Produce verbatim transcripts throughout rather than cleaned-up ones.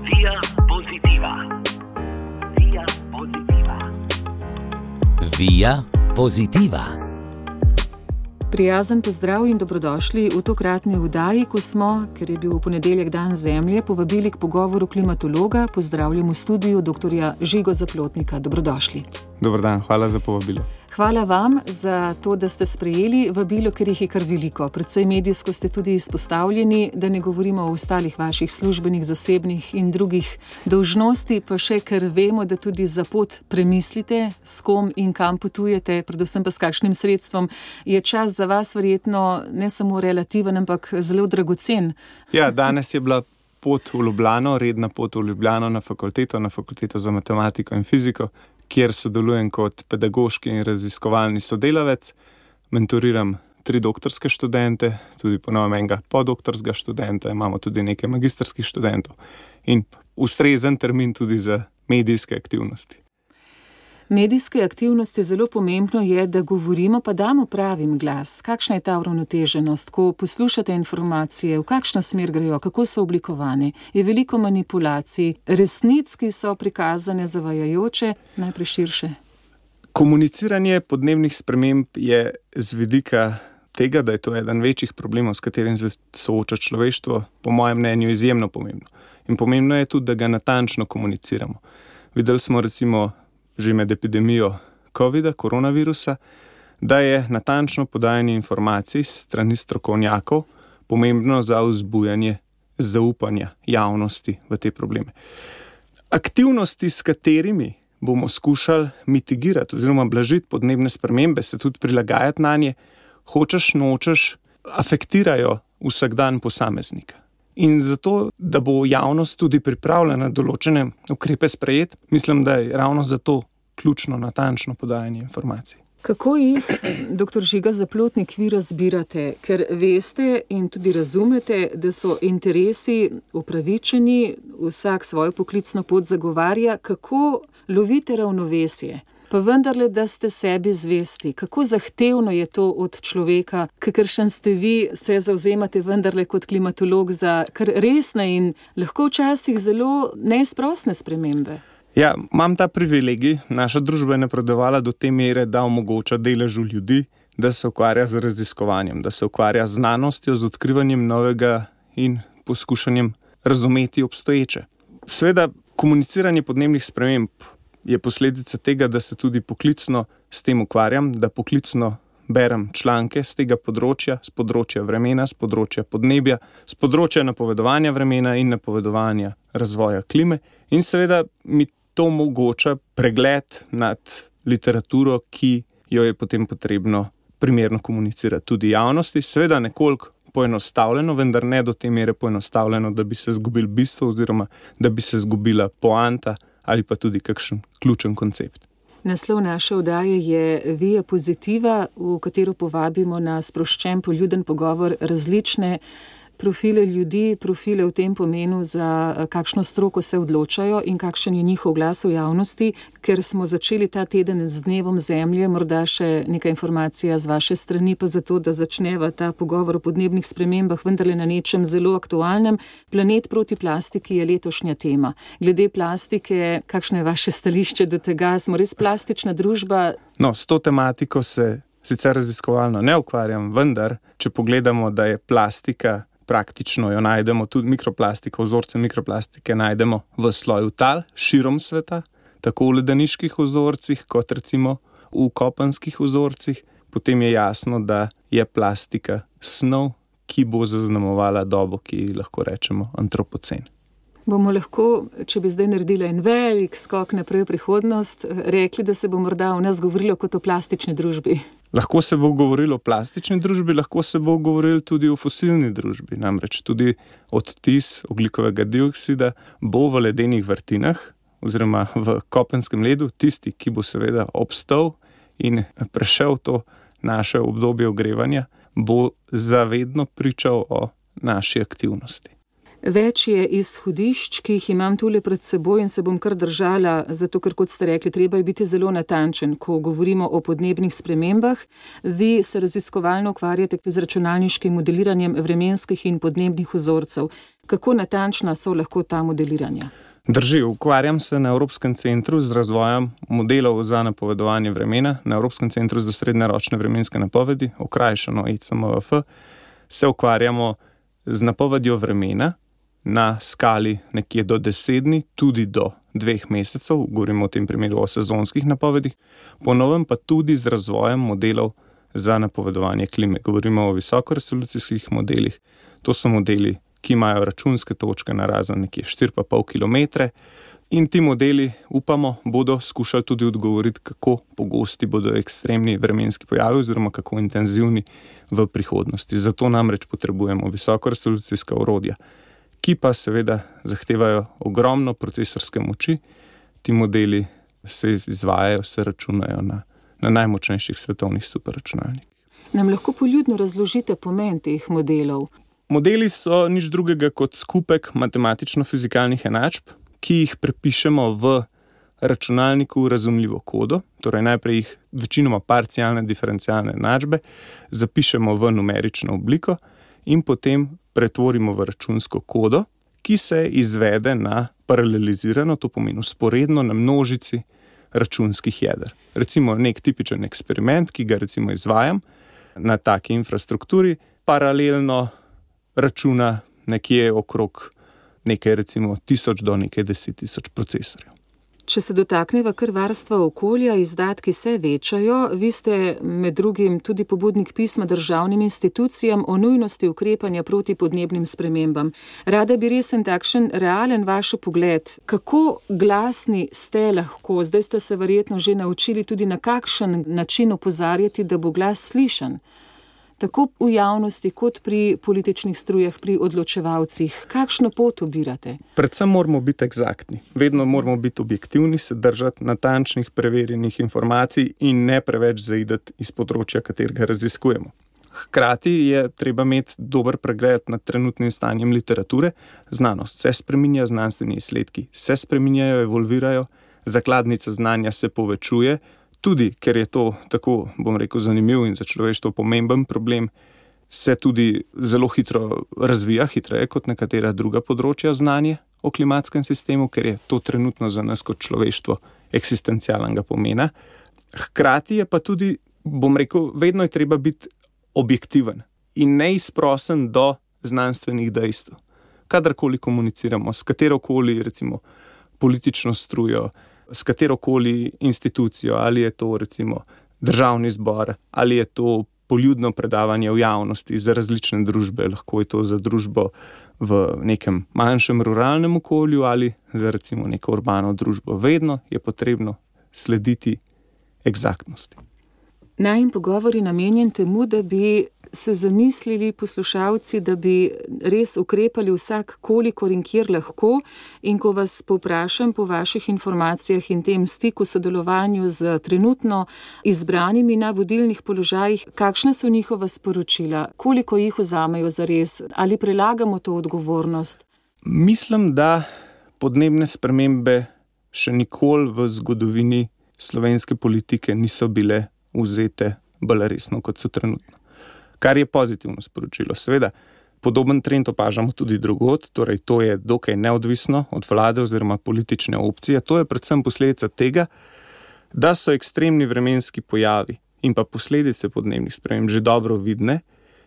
Via Positiva. Via Positiva. Via Positiva. Prijazen pozdrav in dobrodošli v tokratni oddaji, ko smo, ker je bil v ponedeljek dan Zemlje, povabili k pogovoru klimatologa. Pozdravljam v studiu doktorja Žigo Zaplotnika. Dobrodošli. Dober dan, hvala za povabilo. Hvala vam za to, da ste sprejeli vabilo, ker jih je kar veliko. Predvsej medijsko ste tudi izpostavljeni, da ne govorimo o ostalih vaših službenih, zasebnih in drugih dolžnosti, pa še ker vemo, da tudi za pot premislite, s kom in kam potujete, predvsem pa s kakšnim sredstvom. Je čas za vas verjetno ne samo relativen, ampak zelo dragocen. Ja, danes je bila pot v Ljubljano, redna pot v Ljubljano na fakulteto, na fakulteto za matematiko in fiziko, kjer sodelujem kot pedagoški in raziskovalni sodelavec. Mentoriram tri doktorske študente, tudi po novem enega podoktorskega študenta, imamo tudi nekaj magistrskih študentov in ustrezen termin tudi za medijske aktivnosti. Medijske aktivnosti zelo pomembno je, da govorimo, pa damo pravim glas. Kakšna je ta uravnoteženost, ko poslušate informacije, v kakšno smer grejo, kako so oblikovane? Je veliko manipulacij, resnic, ki so prikazane zavajajoče, najprej širše? Komuniciranje podnebnih sprememb je z vidika tega, da je to eden večjih problemov, s katerim se sooča človeštvo, po mojem mnenju izjemno pomembno. In pomembno je tudi, da ga natančno komuniciramo. Videli smo recimo že med epidemijo covida, koronavirusa, da je natančno podajanje informacij strani strokovnjakov pomembno za vzbujanje zaupanja javnosti v te probleme. Aktivnosti, s katerimi bomo skušali mitigirati oziroma blažiti podnebne spremembe, se tudi prilagajati na nje, hočeš, nočeš, afektirajo vsakdan posameznika. In zato, da bo javnost tudi pripravljena določene ukrepe sprejeti, mislim, da je ravno zato ključno natančno podajanje informacij. Kako jih, doktor Žiga Zaplotnik, vi razbirate? Ker veste in tudi razumete, da so interesi upravičeni, vsak svojo poklicno pot zagovarja. Kako lovite ravnovesje? Pa vendarle, da ste sebi zvesti. Kako zahtevno je to od človeka, kakršen ste vi, se zavzemate vendarle kot klimatolog za kar resne in lahko včasih zelo neizprosne spremembe? Ja, imam ta privilegij. Naša družba je napredovala do te mere, da omogoča deležu ljudi, da se ukvarja z raziskovanjem, da se ukvarja z znanostjo, z odkrivanjem novega in poskušanjem razumeti obstoječe. Seveda, komuniciranje podnebnih sprememb je posledica tega, da se tudi poklicno s tem ukvarjam, da poklicno berem članke z tega področja, z področja vremena, z področja podnebja, z področja napovedovanja vremena in napovedovanja razvoja klime. In seveda mi to omogoča pregled nad literaturo, ki jo je potem potrebno primerno komunicirati tudi javnosti. Seveda nekoliko poenostavljeno, vendar ne do te mere poenostavljeno, da bi se zgubil bistvo oziroma da bi se zgubila poanta ali pa tudi kakšen ključen koncept. Naslov naše oddaje je Via Positiva, v katero povabimo na sproščen, poljuden pogovor različne profile ljudi, profile v tem pomenu, za kakšno stroko se odločajo in kakšen je njihov glas v javnosti. Ker smo začeli ta teden z dnevom Zemlje, morda še neka informacija z vaše strani, pa zato, da začneva ta pogovor o podnebnih spremembah vendarle na nečem zelo aktualnem. Planet proti plastiki je letošnja tema. Glede plastike, kakšno je vaše stališče do tega? Smo res plastična družba? No, s to tematiko se sicer raziskovalno ne ukvarjam, vendar, če pogledamo, da je plastika, praktično jo najdemo, tudi mikroplastiko, vzorce mikroplastike najdemo v sloju tal, širom sveta, tako v ledeniških vzorcih, kot recimo v kopenskih vzorcih, potem je jasno, da je plastika snov, ki bo zaznamovala dobo, ki lahko rečemo antropocen. Bomo lahko, če bi zdaj naredila en velik skok naprej v prihodnost, rekli, da se bo morda o nas govorilo kot o plastični družbi? Lahko se bo govorilo o plastični družbi, lahko se bo govorilo tudi o fosilni družbi. Namreč tudi odtis ogljikovega dioksida bo v ledenih vrtinah oziroma v kopenskem ledu, tisti, ki bo seveda obstal in prešel to naše obdobje ogrevanja, bo zavedno pričal o naši aktivnosti. Več je izhodišč, ki jih imam tule pred seboj in se bom kar držala, zato ker, kot ste rekli, treba je biti zelo natančen, ko govorimo o podnebnih spremembah. Vi se raziskovalno ukvarjate z računalniškim modeliranjem vremenskih in podnebnih vzorcev. Kako natančna so lahko ta modeliranja? Drži, ukvarjam se na Evropskem centru z razvojem modelov za napovedovanje vremena, na Evropskem centru za srednjeročne vremenske napovedi, okrajšano E C M V F, se ukvarjamo z napovedjo vremena na skali nekje do deset dni, tudi do dveh mesecev, govorimo v tem primeru o sezonskih napovedih, ponovem pa tudi z razvojem modelov za napovedovanje klime. Govorimo o visokoresolucijskih modelih, to so modeli, ki imajo računske točke na razen nekje štiri pa pol kilometre in ti modeli, upamo, bodo skušali tudi odgovoriti, kako pogosti bodo ekstremni vremenski pojavi oziroma kako intenzivni v prihodnosti. Zato namreč potrebujemo visokoresolucijska orodja, ki pa seveda zahtevajo ogromno procesorske moči. Ti modeli se izvajajo, se računajo na, na najmočnejših svetovnih superračunalnikih. Nam lahko poljudno razložite pomen teh modelov? Modeli so nič drugega kot skupek matematično-fizikalnih enačb, ki jih prepišemo v računalniku razumljivo kodo, torej najprej jih večinoma parcialne diferencialne enačbe zapišemo v numerično obliko in potem pretvorimo v računsko kodo, ki se izvede na paralelizirano, to pomeni vzporedno na množici računskih jeder. Recimo nek tipičen eksperiment, ki ga recimo izvajam na taki infrastrukturi, paralelno računa nekje okrog nekaj recimo tisoč do nekaj deset tisoč procesorjev. Če se dotakneva kar varstva okolja, izdatki se večajo. Vi ste med drugim tudi pobudnik pisma državnim institucijam o nujnosti ukrepanja proti podnebnim spremembam. Rada bi resen takšen realen vaš pogled, kako glasni ste lahko, zdaj ste se verjetno že naučili tudi na kakšen način opozarjati, da bo glas slišan. Tako v javnosti, kot pri političnih strujah, pri odločevalcih. Kakšno pot ubirate? Predvsem moramo biti eksaktni. Vedno moramo biti objektivni, se držati natančnih, preverjenih informacij in ne preveč zaidati iz področja, katerega raziskujemo. Hkrati je treba imeti dober pregled nad trenutnim stanjem literature. Znanost se spreminja, znanstveni izsledki se spreminjajo, evolvirajo, zakladnica znanja se povečuje, tudi, ker je to tako, bom rekel, zanimiv in za človeštvo pomemben problem, se tudi zelo hitro razvija, hitreje kot nekatera druga področja znanja o klimatskem sistemu, ker je to trenutno za nas kot človeštvo eksistencialnega pomena. Hkrati je pa tudi, bom rekel, vedno je treba biti objektiven in neizprosen do znanstvenih dejstev. Kadarkoli komuniciramo s katerokoli, recimo, politično strujo, s katerokoli institucijo, ali je to recimo državni zbor, ali je to poljudno predavanje v javnosti za različne družbe, lahko je to za družbo v nekem manjšem ruralnem okolju ali za recimo neko urbano družbo. Vedno je potrebno slediti eksaktnosti. Najin pogovor je namenjen temu, da bi se zamislili poslušalci, da bi res ukrepali vsak kolikor in kjer lahko, in ko vas povprašam po vaših informacijah in tem stiku, sodelovanju z trenutno izbranimi na vodilnih položajih, kakšna so njihova sporočila, koliko jih vzamejo zares, ali prelagamo to odgovornost? Mislim, da podnebne spremembe še nikoli v zgodovini slovenske politike niso bile vzete bolj resno, kot so trenutno. Kar je pozitivno sporočilo. Seveda, podoben trend opažamo tudi drugod, torej to je dokaj neodvisno od vlade oziroma politične opcije. To je predvsem posledica tega, da so ekstremni vremenski pojavi in pa posledice podnebnih sprememb že dobro vidne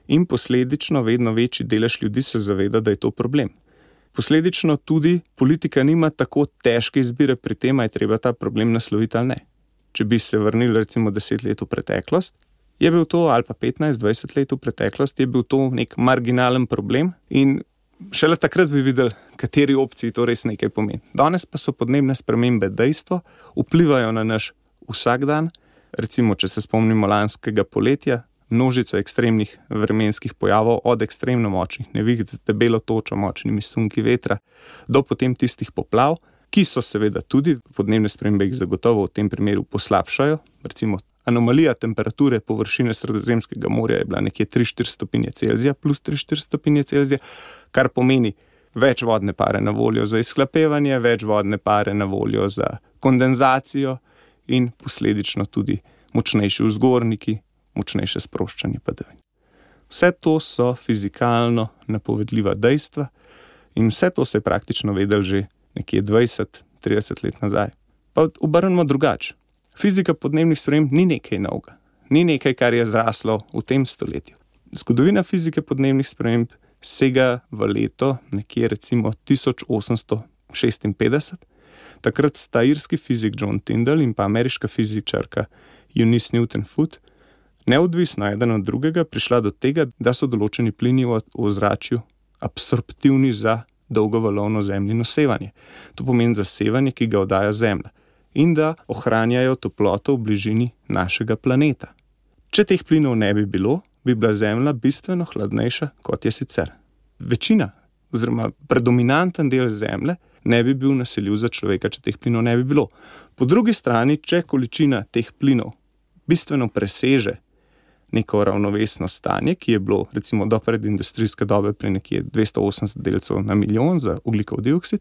in posledično vedno večji delež ljudi se zaveda, da je to problem. Posledično tudi politika nima tako težke izbire pri tem, a je treba ta problem nasloviti ali ne. Če bi se vrnili recimo deset let v preteklost, je bil to, ali pa petnajst dvajset let v preteklost, je bil to nek marginalen problem in šele takrat bi videli, kateri opciji to res nekaj pomeni. Danes pa so podnebne spremembe dejstvo, vplivajo na naš vsakdan. Recimo, če se spomnimo lanskega poletja, množica ekstremnih vremenskih pojavov, od ekstremno močnih neviht z debelo točo, močnimi sunki vetra, do potem tistih poplav, ki so seveda tudi, podnebne spremembe jih zagotovo v tem primeru poslabšajo. Recimo, anomalija temperature površine Sredozemskega morja je bila nekje tri štiri stopinje Celzija, plus tri štiri stopinje Celzija, kar pomeni več vodne pare na voljo za izhlapevanje, več vodne pare na voljo za kondenzacijo in posledično tudi močnejši vzgorniki, močnejše sproščanje padavin. Vse to so fizikalno napovedljiva dejstva, In vse to se je praktično vedelo že nekje dvajset trideset let nazaj. Pa obrnemo drugače. Fizika podnebnih sprememb ni nekaj novega. Ni nekaj, kar je zraslo v tem stoletju. Zgodovina fizike podnebnih sprememb sega v leto nekje recimo tisoč osemsto šestinpetdeset. Takrat sta irski fizik John Tyndall in pa ameriška fizičarka Eunice Newton-Foote neodvisno eden od drugega prišla do tega, da so določeni plini v ozračju absorptivni za dolgovalovno zemljino sevanje. To pomeni za sevanje, ki ga oddaja Zemlja, in da ohranjajo toploto v bližini našega planeta. Če teh plinov ne bi bilo, bi bila Zemlja bistveno hladnejša, kot je sicer. Večina, oziroma predominanten del Zemlje, ne bi bil naseljiv za človeka, če teh plinov ne bi bilo. Po drugi strani, če količina teh plinov bistveno preseže neko ravnovesno stanje, ki je bilo recimo do predindustrijske dobe pri nekje dvesto osemdeset delcev na milijon za ogljikov dioksid,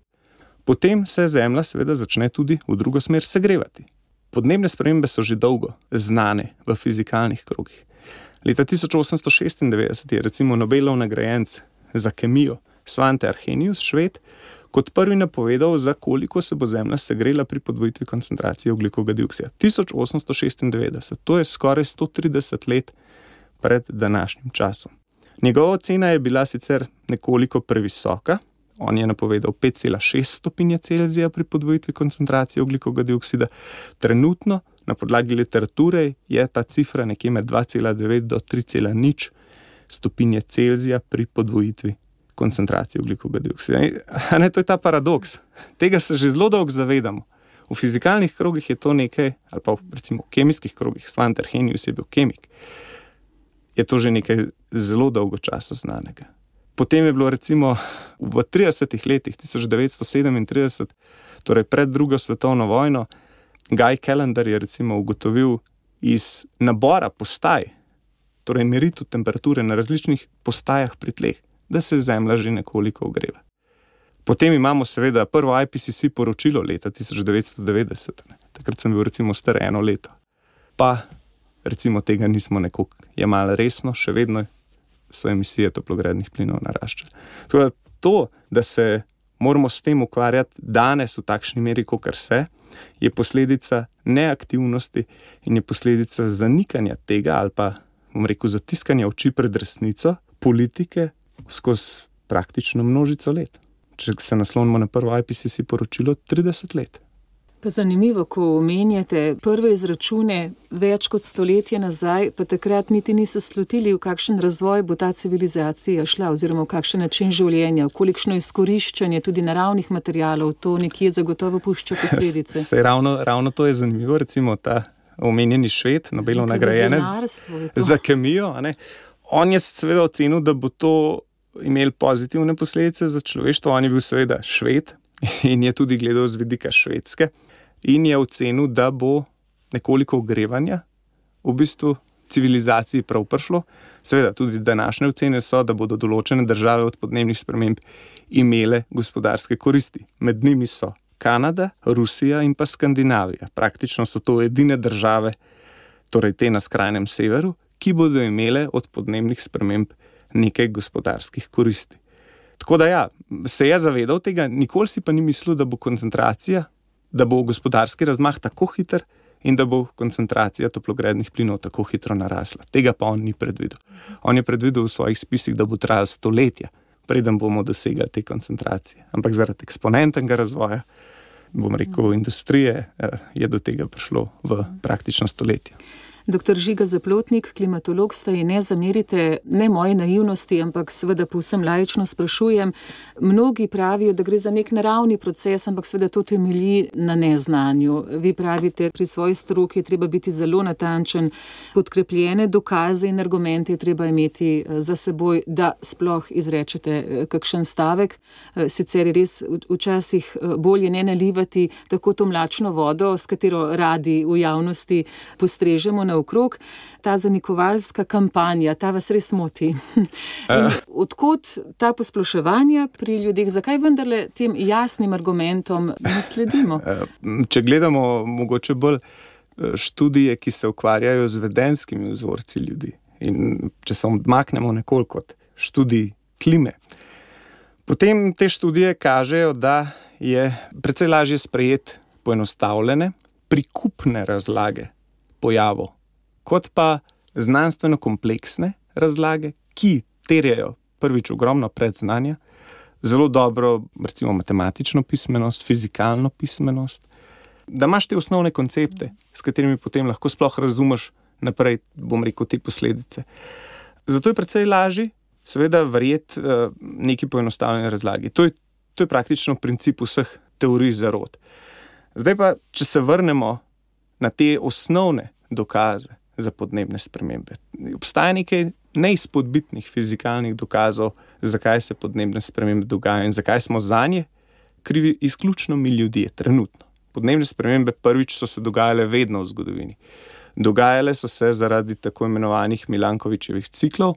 potem se Zemlja seveda začne tudi v drugo smer segrevati. Podnebne spremembe so že dolgo znane v fizikalnih krogih. Leta tisoč osemsto šestindevetdeset je recimo Nobelov nagrajenec za kemijo Svante Arrhenius, Šved, kot prvi napovedal, za koliko se bo Zemlja segrela pri podvojitvi koncentracije ogljikovega dioksida. tisoč osemsto šestindevetdeset, to je skoraj sto trideset let pred današnjim časom. Njegova ocena je bila sicer nekoliko previsoka, on je napovedal pet cela šest stopinje Celzija pri podvojitvi koncentracije ogljikovega dioksida. Trenutno, na podlagi literature, je ta cifra nekje med dva cela devet do tri cela nič stopinje Celzija pri podvojitvi koncentracije ogljikovega dioksida. Ne, to je ta paradoks. Tega se že zelo dolgo zavedamo. V fizikalnih krogih je to nekaj, ali pa recimo v kemijskih krogih, Svante Arrhenius je bil kemik, je to že nekaj zelo dolgo časa znanega. Potem je bilo recimo v tridesetih letih tisoč devetsto sedemintrideset, torej pred drugo svetovno vojno, Guy Callendar je recimo ugotovil iz nabora postaj, torej meritev temperature na različnih postajah pri tleh, da se Zemlja že nekoliko ogreva. Potem imamo seveda prvo I P C C poročilo leta tisoč devetsto devetdeset. Takrat sem bil recimo star eno leto. Pa recimo tega nismo nekoliko jemali resno, še vedno so emisije toplogrednih plinov naraščale. Torej, to, da se moramo s tem ukvarjati danes v takšni meri, kakor se, je posledica neaktivnosti in je posledica zanikanja tega ali pa, bom rekel, zatiskanja oči pred resnico politike skozi praktično množico let. Če se naslonimo na prvo I P C C poročilo, trideset let. Pa zanimivo, ko omenjate prve izračune več kot stoletje nazaj, pa takrat niti niso slutili, v kakšen razvoj bo ta civilizacija šla, oziroma v kakšen način življenja, v kolikšno izkoriščanje tudi naravnih materialov, to nekje zagotovo pušča posledice. Se, ravno, ravno to je zanimivo, recimo ta omenjeni Šved, Nobelov nagrajenec za kemijo, a ne? On je seveda ocenil, da bo to imel pozitivne posledice za človeštvo. On je bil seveda Šved in je tudi gledal z vidika Švedske in je ocenil, da bo nekoliko ogrevanja v bistvu civilizaciji prav prišlo. Seveda tudi današnje ocene so, da bodo določene države od podnebnih sprememb imele gospodarske koristi. Med njimi so Kanada, Rusija in pa Skandinavija. Praktično so to edine države, torej te na skrajnem severu, ki bodo imele od podnebnih sprememb nekaj gospodarskih koristi. Tako da ja, se je zavedal tega, nikoli si pa ni mislil, da bo koncentracija, da bo gospodarski razmah tako hiter in da bo koncentracija toplogrednih plinov tako hitro narasla. Tega pa on ni predvidel. On je predvidel v svojih spisih, da bo trajalo stoletja, preden bomo dosegali te koncentracije. Ampak zaradi eksponentnega razvoja, bom rekel, industrije, je do tega prišlo v praktično stoletje. Doktor Žiga Zaplotnik, klimatolog ste in ne zamerite ne moje naivnosti, ampak seveda povsem laično sprašujem. Mnogi pravijo, da gre za nek naravni proces, ampak seveda to temelji na neznanju. Vi pravite, pri svoji stroki je treba biti zelo natančen, podkrepljene dokaze in argumente je treba imeti za seboj, da sploh izrečete kakšen stavek. Sicer je res včasih bolje ne nalivati tako to mlačno vodo, s katero radi v javnosti postrežemo na okrog. Ta zanikovalska kampanja, ta vas res moti. In odkot ta posploševanja pri ljudeh, zakaj vendarle tem jasnim argumentom ne sledimo? Če gledamo mogoče bolj študije, ki se ukvarjajo z vedenskimi vzorci ljudi, in če se odmaknemo nekoliko od študij klime, Potem te študije kažejo, da je precej lažje sprejeti poenostavljene, prikupne razlage pojavov, kot pa znanstveno kompleksne razlage, ki terjajo prvič ogromno predznanja, zelo dobro, recimo matematično pismenost, fizikalno pismenost, da imaš te osnovne koncepte, s katerimi potem lahko sploh razumeš naprej, bom rekel, te posledice. Zato je precej lažje, seveda, verjeti uh, neki poenostavljeni razlagi. To je, to je praktično princip vseh teorij zarot. Zdaj pa, če se vrnemo na te osnovne dokaze za podnebne spremembe. Obstaja nekaj neizpodbitnih fizikalnih dokazov, zakaj se podnebne spremembe dogajajo in zakaj smo zanje krivi izključno mi ljudje trenutno. Podnebne spremembe prvič so se dogajale vedno v zgodovini. Dogajale so se zaradi tako imenovanih Milankovićevih ciklov.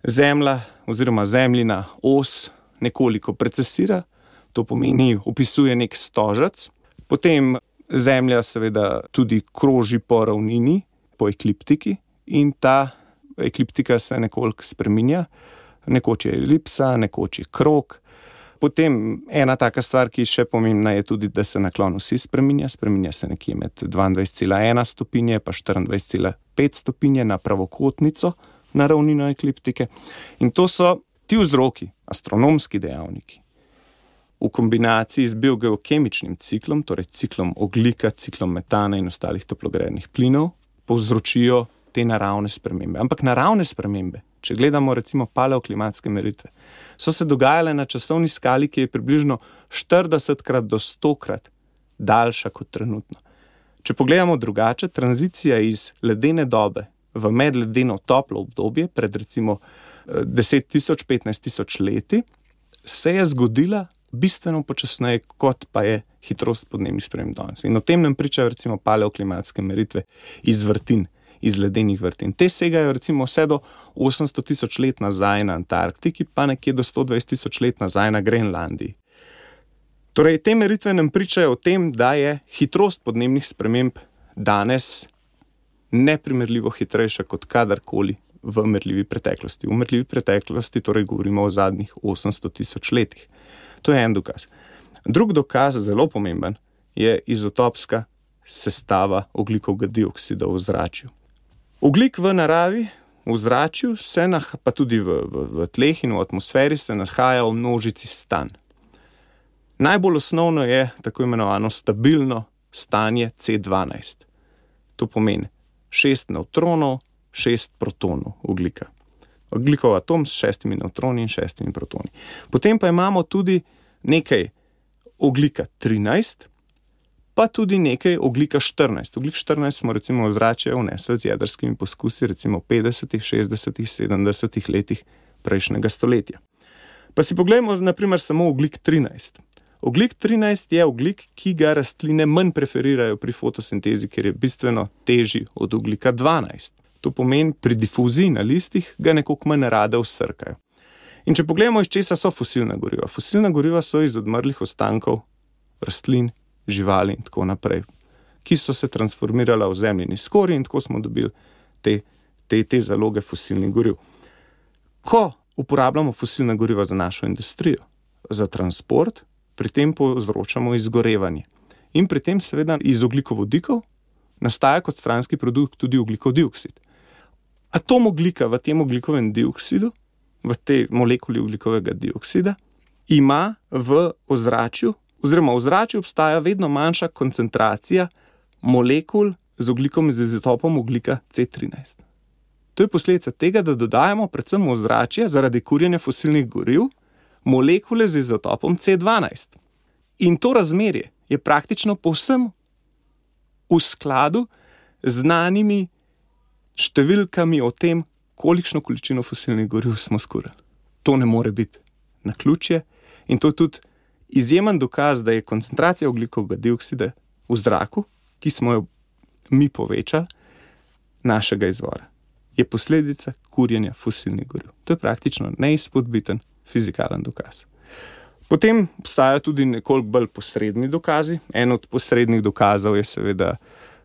Zemlja oziroma zemljina os nekoliko precesira, to pomeni, opisuje nek stožec. Potem Zemlja seveda tudi kroži po ravnini, po ekliptiki in ta ekliptika se nekoliko spreminja. Nekoč je elipsa, nekoč je krog. Potem ena taka stvar, ki še pomembna, je tudi, da se naklon vsi spreminja. Spreminja se nekje med dvaindvajset cela ena stopinje pa štiriindvajset cela pet stopinje na pravokotnico na ravnino ekliptike. In to so ti vzroki, astronomski dejavniki, v kombinaciji z biogeokemičnim ciklom, torej ciklom ogljika, ciklom metana in ostalih toplogrednih plinov, povzročijo te naravne spremembe. Ampak naravne spremembe, če gledamo recimo paleoklimatske meritve, so se dogajale na časovni skali, ki je približno štiridesetkrat do stokrat daljša kot trenutno. Če pogledamo drugače, tranzicija iz ledene dobe v medledeno toplo obdobje pred recimo deset tisoč, petnajst tisoč leti, se je zgodila bistveno počasneje, kot pa je hitrost podnebnih sprememb danes. In o tem nam pričajo recimo paleoklimatske meritve iz vrtin, iz ledenih vrtin. Te segajo recimo vse do osemsto tisoč let nazaj na Antarktiki, pa nekje do sto dvajset tisoč let nazaj na Grenlandiji. Torej, te meritve nam pričajo o tem, da je hitrost podnebnih sprememb danes neprimerljivo hitrejša kot kadarkoli v merljivi preteklosti. V merljivi preteklosti torej govorimo o zadnjih osemsto tisoč letih. To je en dokaz. Drug dokaz, zelo pomemben, je izotopska sestava ogljikovega dioksida v ozračju. Ogljik v naravi, v ozračju, se nah, pa tudi v, v, v tleh in v atmosferi se nahaja v množici stanj. Najbolj osnovno je tako imenovano stabilno stanje C dvanajst. To pomeni šest nevtronov, šest protonov ogljika. Ogljikov atom s šestimi nevtroni in šestimi protoni. Potem pa imamo tudi nekaj ogljika trinajst, pa tudi nekaj ogljika štirinajst. Ogljik štirinajst smo recimo v ozračje vnesli z jedrskimi poskusi recimo v petdesetih, šestdesetih, sedemdesetih letih prejšnjega stoletja. Pa si poglejmo na primer samo ogljik trinajst. Ogljik trinajst je ogljik, ki ga rastline manj preferirajo pri fotosintezi, ker je bistveno težji od ogljika dvanajst. To pomeni, pri difuziji na listih ga nekoliko manj rade vsrkajo. In če pogledamo, iz česa so fosilna goriva. Fosilna goriva so iz odmrlih ostankov rastlin, živali in tako naprej, ki so se transformirala v zemljini skorji in tako smo dobili te, te, te zaloge fosilnih goriv. Ko uporabljamo fosilna goriva za našo industrijo, za transport, pri tem povzročamo izgorevanje. In pri tem seveda iz ogljikovodikov nastaja kot stranski produkt tudi ogljikov dioksid. Atom ogljika v tem ogljikovem dioksidu, v tej molekuli ogljikovega dioksida, ima v ozračju, oziroma v ozračju obstaja vedno manjša koncentracija molekul z ogljikom z izotopom ogljika C trinajst. To je posledica tega, da dodajamo predvsem v ozračje zaradi kurjenja fosilnih goriv molekule z izotopom C dvanajst. In to razmerje je praktično povsem v skladu z znanimi številkami o tem, kolikšno količino fosilnih goriv smo skurili. To ne more biti naključje in to je tudi izjemen dokaz, da je koncentracija ogljikovega dioksida v zraku, ki smo jo mi povečali, našega izvora. Je posledica kurjenja fosilnih goriv. To je praktično neizpodbiten fizikalen dokaz. Potem obstajajo tudi nekoliko bolj posredni dokazi. En od posrednih dokazov je seveda,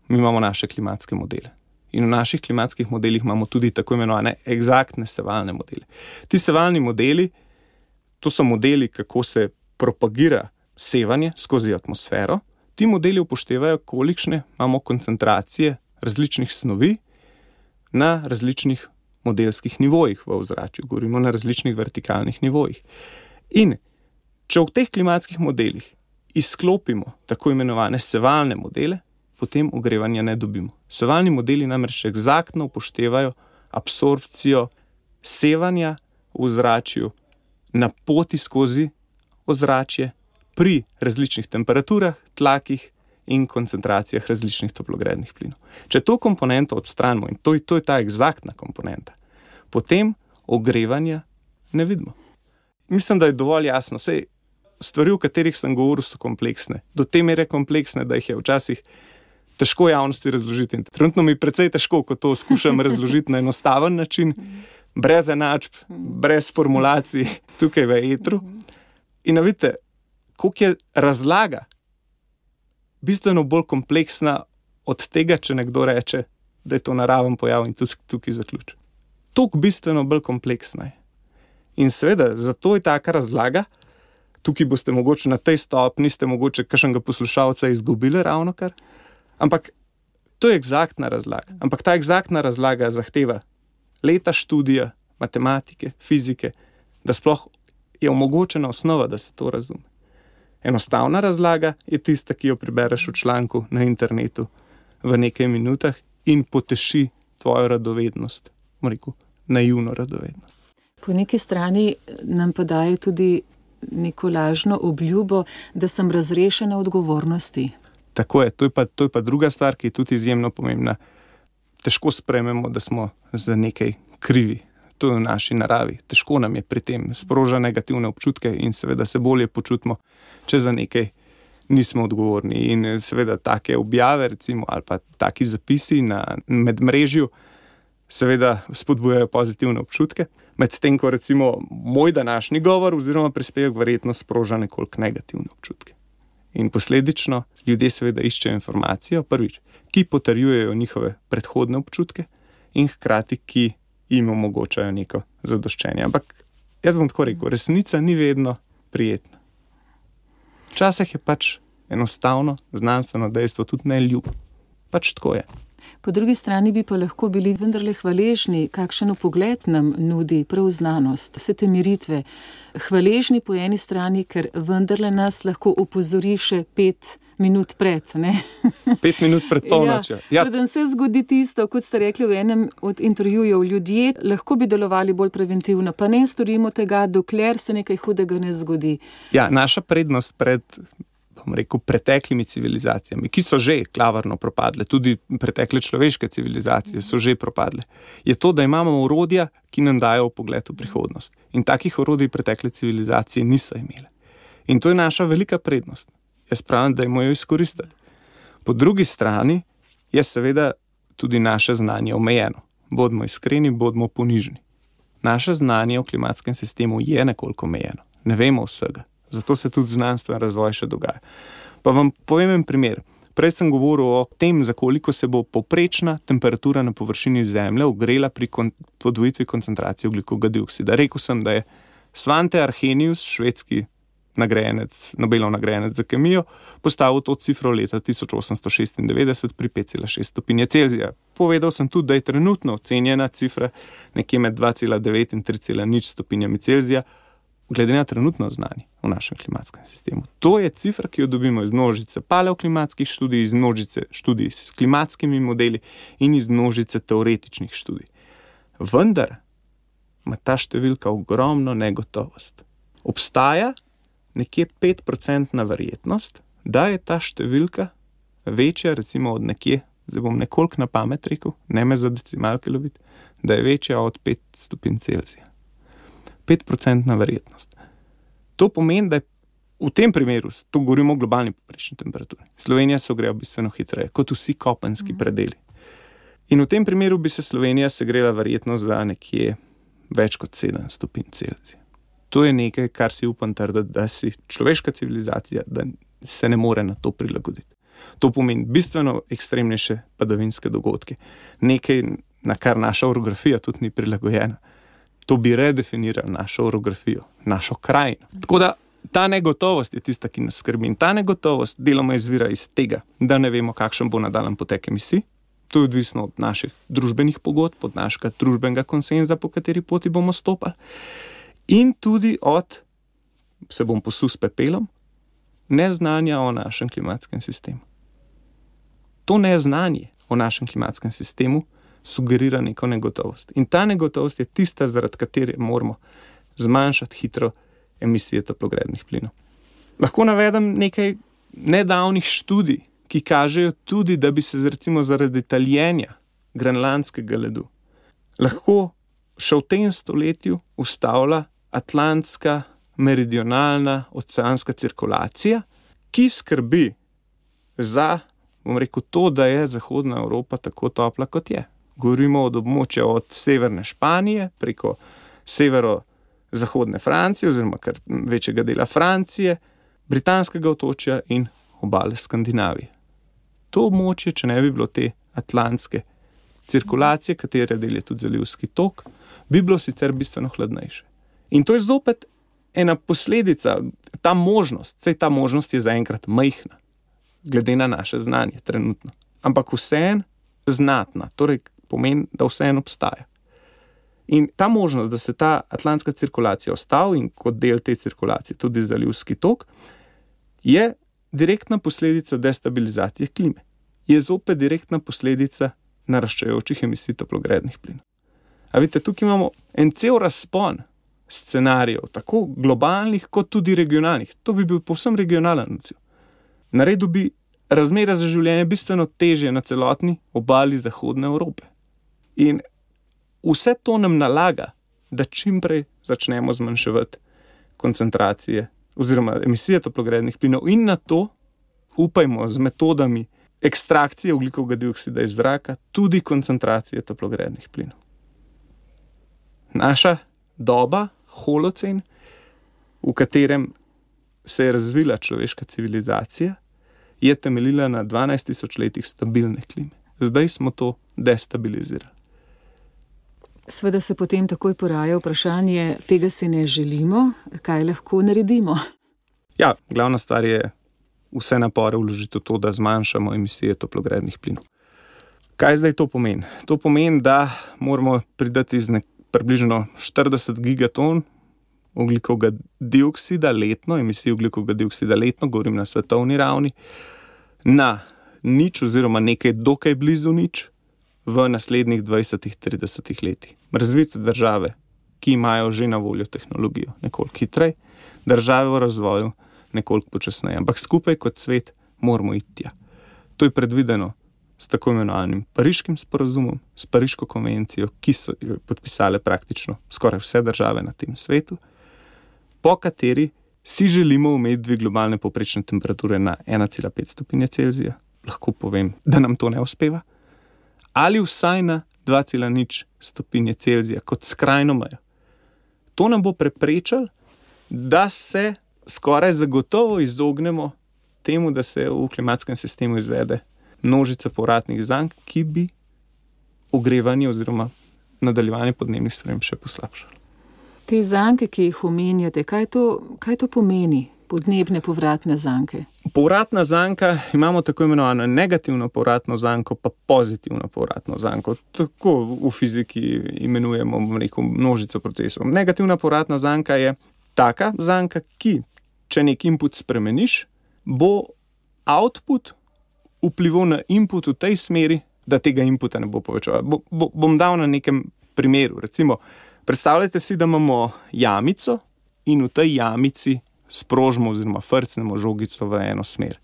mi imamo naše klimatske modele. In v naših klimatskih modelih imamo tudi tako imenovane eksaktne sevalne modele. Ti sevalni modeli To so modeli, kako se propagira sevanje skozi atmosfero. Ti modeli upoštevajo, kolikšne imamo koncentracije različnih snovi na različnih modelskih nivojih v ozračju. Govorimo na različnih vertikalnih nivojih. In če v teh klimatskih modelih izklopimo tako imenovane sevalne modele, potem ogrevanja ne dobimo. Sevalni modeli namreč eksaktno upoštevajo absorpcijo sevanja v ozračju na poti skozi ozračje pri različnih temperaturah, tlakih in koncentracijah različnih toplogrednih plinov. Če to komponento odstranimo, in to, to je ta eksaktna komponenta, potem ogrevanja ne vidimo. Mislim, da je dovolj jasno. Sej, stvari, o katerih sem govoril, so kompleksne. Do te mere kompleksne, da jih je včasih težko javnosti razložiti. Trenutno mi je precej težko, ko to skušam razložiti na enostaven način, brez enačb, brez formulacij, tukaj v etru. In vidite, koliko je razlaga bistveno bolj kompleksna od tega, če nekdo reče, da je to naraven pojav in tukaj, tukaj zaključ. Toliko bistveno bolj kompleksna je. In seveda, zato je taka razlaga, tukaj boste mogoče na tej stopni, ste mogoče kakšnega poslušalca izgubili ravnokar, ampak to je eksaktna razlaga. Ampak ta eksaktna razlaga zahteva leta študija, matematike, fizike, da sploh je omogočena osnova, da se to razume. Enostavna razlaga je tista, ki jo prebereš v članku na internetu v nekaj minutah in poteši tvojo radovednost, rekel, naivno radovednost. Po neki strani nam pa daje tudi neko lažno obljubo, da sem razrešena odgovornosti. Tako je, to je pa, to je pa druga stvar, ki je tudi izjemno pomembna. Težko sprejmemo, da smo za nekaj krivi. To je v naši naravi. Težko nam je pri tem, sproža negativne občutke in seveda se bolje počutimo, če za nekaj nismo odgovorni. In seveda take objave, recimo, ali pa taki zapisi na medmrežju seveda spodbujajo pozitivne občutke. Medtem ko recimo moj današnji govor oziroma prispevek verjetno sproža nekoliko negativne občutke. In posledično ljudje seveda iščejo informacijo, prvič, ki potrjujejo njihove predhodne občutke in hkrati, ki jim omogočajo neko zadoščenje. Ampak jaz bom tako rekel, resnica ni vedno prijetna. Včasih je pač enostavno znanstveno dejstvo tudi neljub. Pač tako je. Po drugi strani bi pa lahko bili vendarle hvaležni, kakšen pogled nam nudi prav znanost, vse te miritve. Hvaležni po eni strani, ker vendarle nas lahko opozori še pet minut pred, ne? Pet minut pred polnočjo. Ja, preden se zgodi tisto, kot ste rekli v enem od intervjujev, ljudje lahko bi delovali bolj preventivno, pa ne storimo tega, dokler se nekaj hudega ne zgodi. Ja, naša prednost pred bom rekel, preteklimi civilizacijami, ki so že klavrno propadle, tudi pretekle človeške civilizacije so že propadle, je to, da imamo orodja, ki nam dajo pogled v prihodnost. In takih orodij pretekle civilizacije niso imele. In to je naša velika prednost. Jaz pravim, da jo izkoristiti. Po drugi strani je seveda tudi naše znanje omejeno. Bodimo iskreni, bodimo ponižni. Naše znanje o klimatskem sistemu je nekoliko omejeno. Ne vemo vsega. Zato se tudi znanstven razvoj še dogaja. Pa vam povem en primer. Prej sem govoril o tem, za koliko se bo povprečna temperatura na površini Zemlje ogrela pri kon- podvojitvi koncentracije ogljikovega dioksida. Rekel sem, da je Svante Arrhenius, švedski nagrajenec, Nobelov nagrajenec za kemijo, postavil to cifro leta tisoč osemsto šestindevetdeset pri pet cela šest stopinje Celzija. Povedal sem tudi, da je trenutno ocenjena cifra nekje med dva cela devet in tri cela nič stopinjami Celzija, glede na trenutno znanje v našem klimatskem sistemu. To je cifra, ki jo dobimo iz množice paleoklimatskih študij, iz množice študij s klimatskimi modeli in iz množice teoretičnih študij. Vendar ima ta številka ogromno negotovost. Obstaja nekje pet procentna verjetnost, da je ta številka večja, recimo od nekje, zdaj bom nekoliko na pamet rekel, ne me za decimalke loviti, da je večja od pet stopinj Celzija. pet procentna verjetnost. To pomeni, da je v tem primeru, to govorimo o globalni povprečni temperaturi, Slovenija se ogreva bistveno hitreje, kot vsi kopenski mm. predeli. In v tem primeru bi se Slovenija segrela verjetno za nekje več kot sedem stopinj Celzija. To je nekaj, kar si upam trditi, da si človeška civilizacija, da se ne more na to prilagoditi. To pomeni bistveno ekstremnejše padavinske dogodke. Nekaj, na kar naša orografija tudi ni prilagojena. To bi redefiniralo našo orografijo, našo krajino. Tako da ta negotovost je tista, ki nas skrbi. In ta negotovost deloma izvira iz tega, da ne vemo, kakšen bo nadaljen potek emisij. To je odvisno od naših družbenih pogodb, od našega družbenega konsenza, po kateri poti bomo stopali. In tudi od, se bom posul s pepelom, neznanja o našem klimatskem sistemu. To neznanje o našem klimatskem sistemu sugerira neko negotovost. In ta negotovost je tista, zaradi katere moramo zmanjšati hitro emisije toplogrednih plinov. Lahko navedem nekaj nedavnih študij, ki kažejo tudi, da bi se recimo zaradi taljenja grenlandskega ledu lahko še v tem stoletju ustavila atlantska meridionalna oceanska cirkulacija, ki skrbi za, bom rekel, to, da je zahodna Evropa tako topla, kot je. Govorimo od območja od severne Španije preko severo-zahodne Francije oziroma kar večjega dela Francije, britanskega otočja in obale Skandinavije. To območje, če ne bi bilo te atlantske cirkulacije, katere del je tudi zalivski tok, bi bilo sicer bistveno hladnejše. In to je zopet ena posledica, ta možnost, saj ta možnost je zaenkrat majhna, glede na naše znanje trenutno, ampak vseeno znatna, torej pomeni, da vseeno obstaja. In ta možnost, da se ta atlantska cirkulacija ostavi in kot del te cirkulacije tudi zalivski tok, je direktna posledica destabilizacije klime. Je zopet direktna posledica naraščajočih emisij toplogrednih plinov. A vidite, tukaj imamo en cel razpon scenarijev, tako globalnih kot tudi regionalnih. To bi bil povsem regionalen odziv. Naredil bi razmere za življenje bistveno težje na celotni obali Zahodne Evrope. In vse to nam nalaga, da čim prej začnemo zmanjševati koncentracije oziroma emisije toplogrednih plinov in na to upajmo z metodami ekstrakcije ogljikovega dioksida iz zraka tudi koncentracije toplogrednih plinov. Naša doba, holocen, v katerem se je razvila človeška civilizacija, je temeljila na dvanajst tisoč letih stabilne klime. Zdaj smo to destabilizirali. Sveda se potem takoj poraja vprašanje, tega si ne želimo, kaj lahko naredimo? Ja, glavna stvar je vse napore vložiti v to, da zmanjšamo emisije toplogrednih plinov. Kaj zdaj to pomeni? To pomeni, da moramo pridati z nek, približno štirideset gigaton ogljikovega dioksida letno, emisij ogljikovega dioksida letno, govorim na svetovni ravni, na nič oziroma nekaj dokaj blizu nič v naslednjih dvajsetih do tridesetih letih. Razvite države, ki imajo že na voljo tehnologijo, nekoliko hitrej, države v razvoju nekoliko počasneje, ampak skupaj kot svet moramo iti tja. To je predvideno s tako imenovanim Pariškim sporazumom, s Pariško konvencijo, ki so jo podpisale praktično skoraj vse države na tem svetu, po kateri si želimo omejiti dvig globalne povprečne temperature na ena cela pet stopinje Celzija. Lahko povem, da nam to ne uspeva. Ali vsaj na dva cela nič stopinje Celzija kot skrajno mejo. To nam bo preprečalo, da se skoraj zagotovo izognemo temu, da se v klimatskem sistemu izvede množica povratnih zank, ki bi ogrevanje oziroma nadaljevanje podnebnih sprememb še poslabšalo. Te zanke, ki jih omenjate, kaj to, kaj to pomeni, podnebne povratne zanke? Povratna zanka, imamo tako imenovano negativno povratno zanko, pa pozitivno povratno zanko. Tako v fiziki imenujemo, bom rekel, množico procesov. Negativna povratna zanka je taka zanka, ki, če nek input spremeniš, bo output vplival na input v tej smeri, da tega inputa ne bo povečal. Bo, bo, bom dal na nekem primeru. Recimo, predstavljajte si, da imamo jamico in v tej jamici sprožimo oziroma frcnemo žogico v eno smer.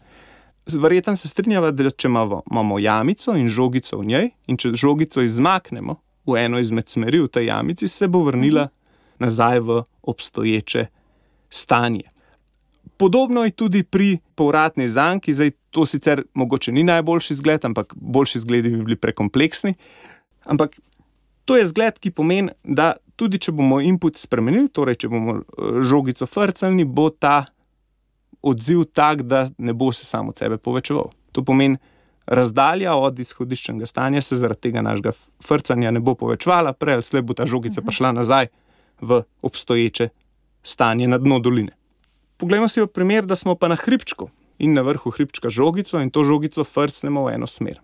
Verjetno se strinjava, da če imamo jamico in žogico v njej in če žogico izmaknemo v eno izmed smeri v tej jamici, se bo vrnila nazaj v obstoječe stanje. Podobno je tudi pri povratni zanki, zdaj to sicer mogoče ni najboljši zgled, ampak boljši zgledi bi bili prekompleksni, ampak to je zgled, ki pomeni, da tudi če bomo input spremenili, torej če bomo žogico frcali, bo ta odziv tak, da ne bo se samo od sebe povečeval. To pomeni, razdalja od izhodiščnega stanja se zaradi tega našega frcanja ne bo povečevala, prej ali slej bo ta žogica prišla nazaj v obstoječe stanje na dno doline. Poglejmo si v primer, da smo pa na hribčku in na vrhu hribčka žogico in to žogico frcnemo v eno smer.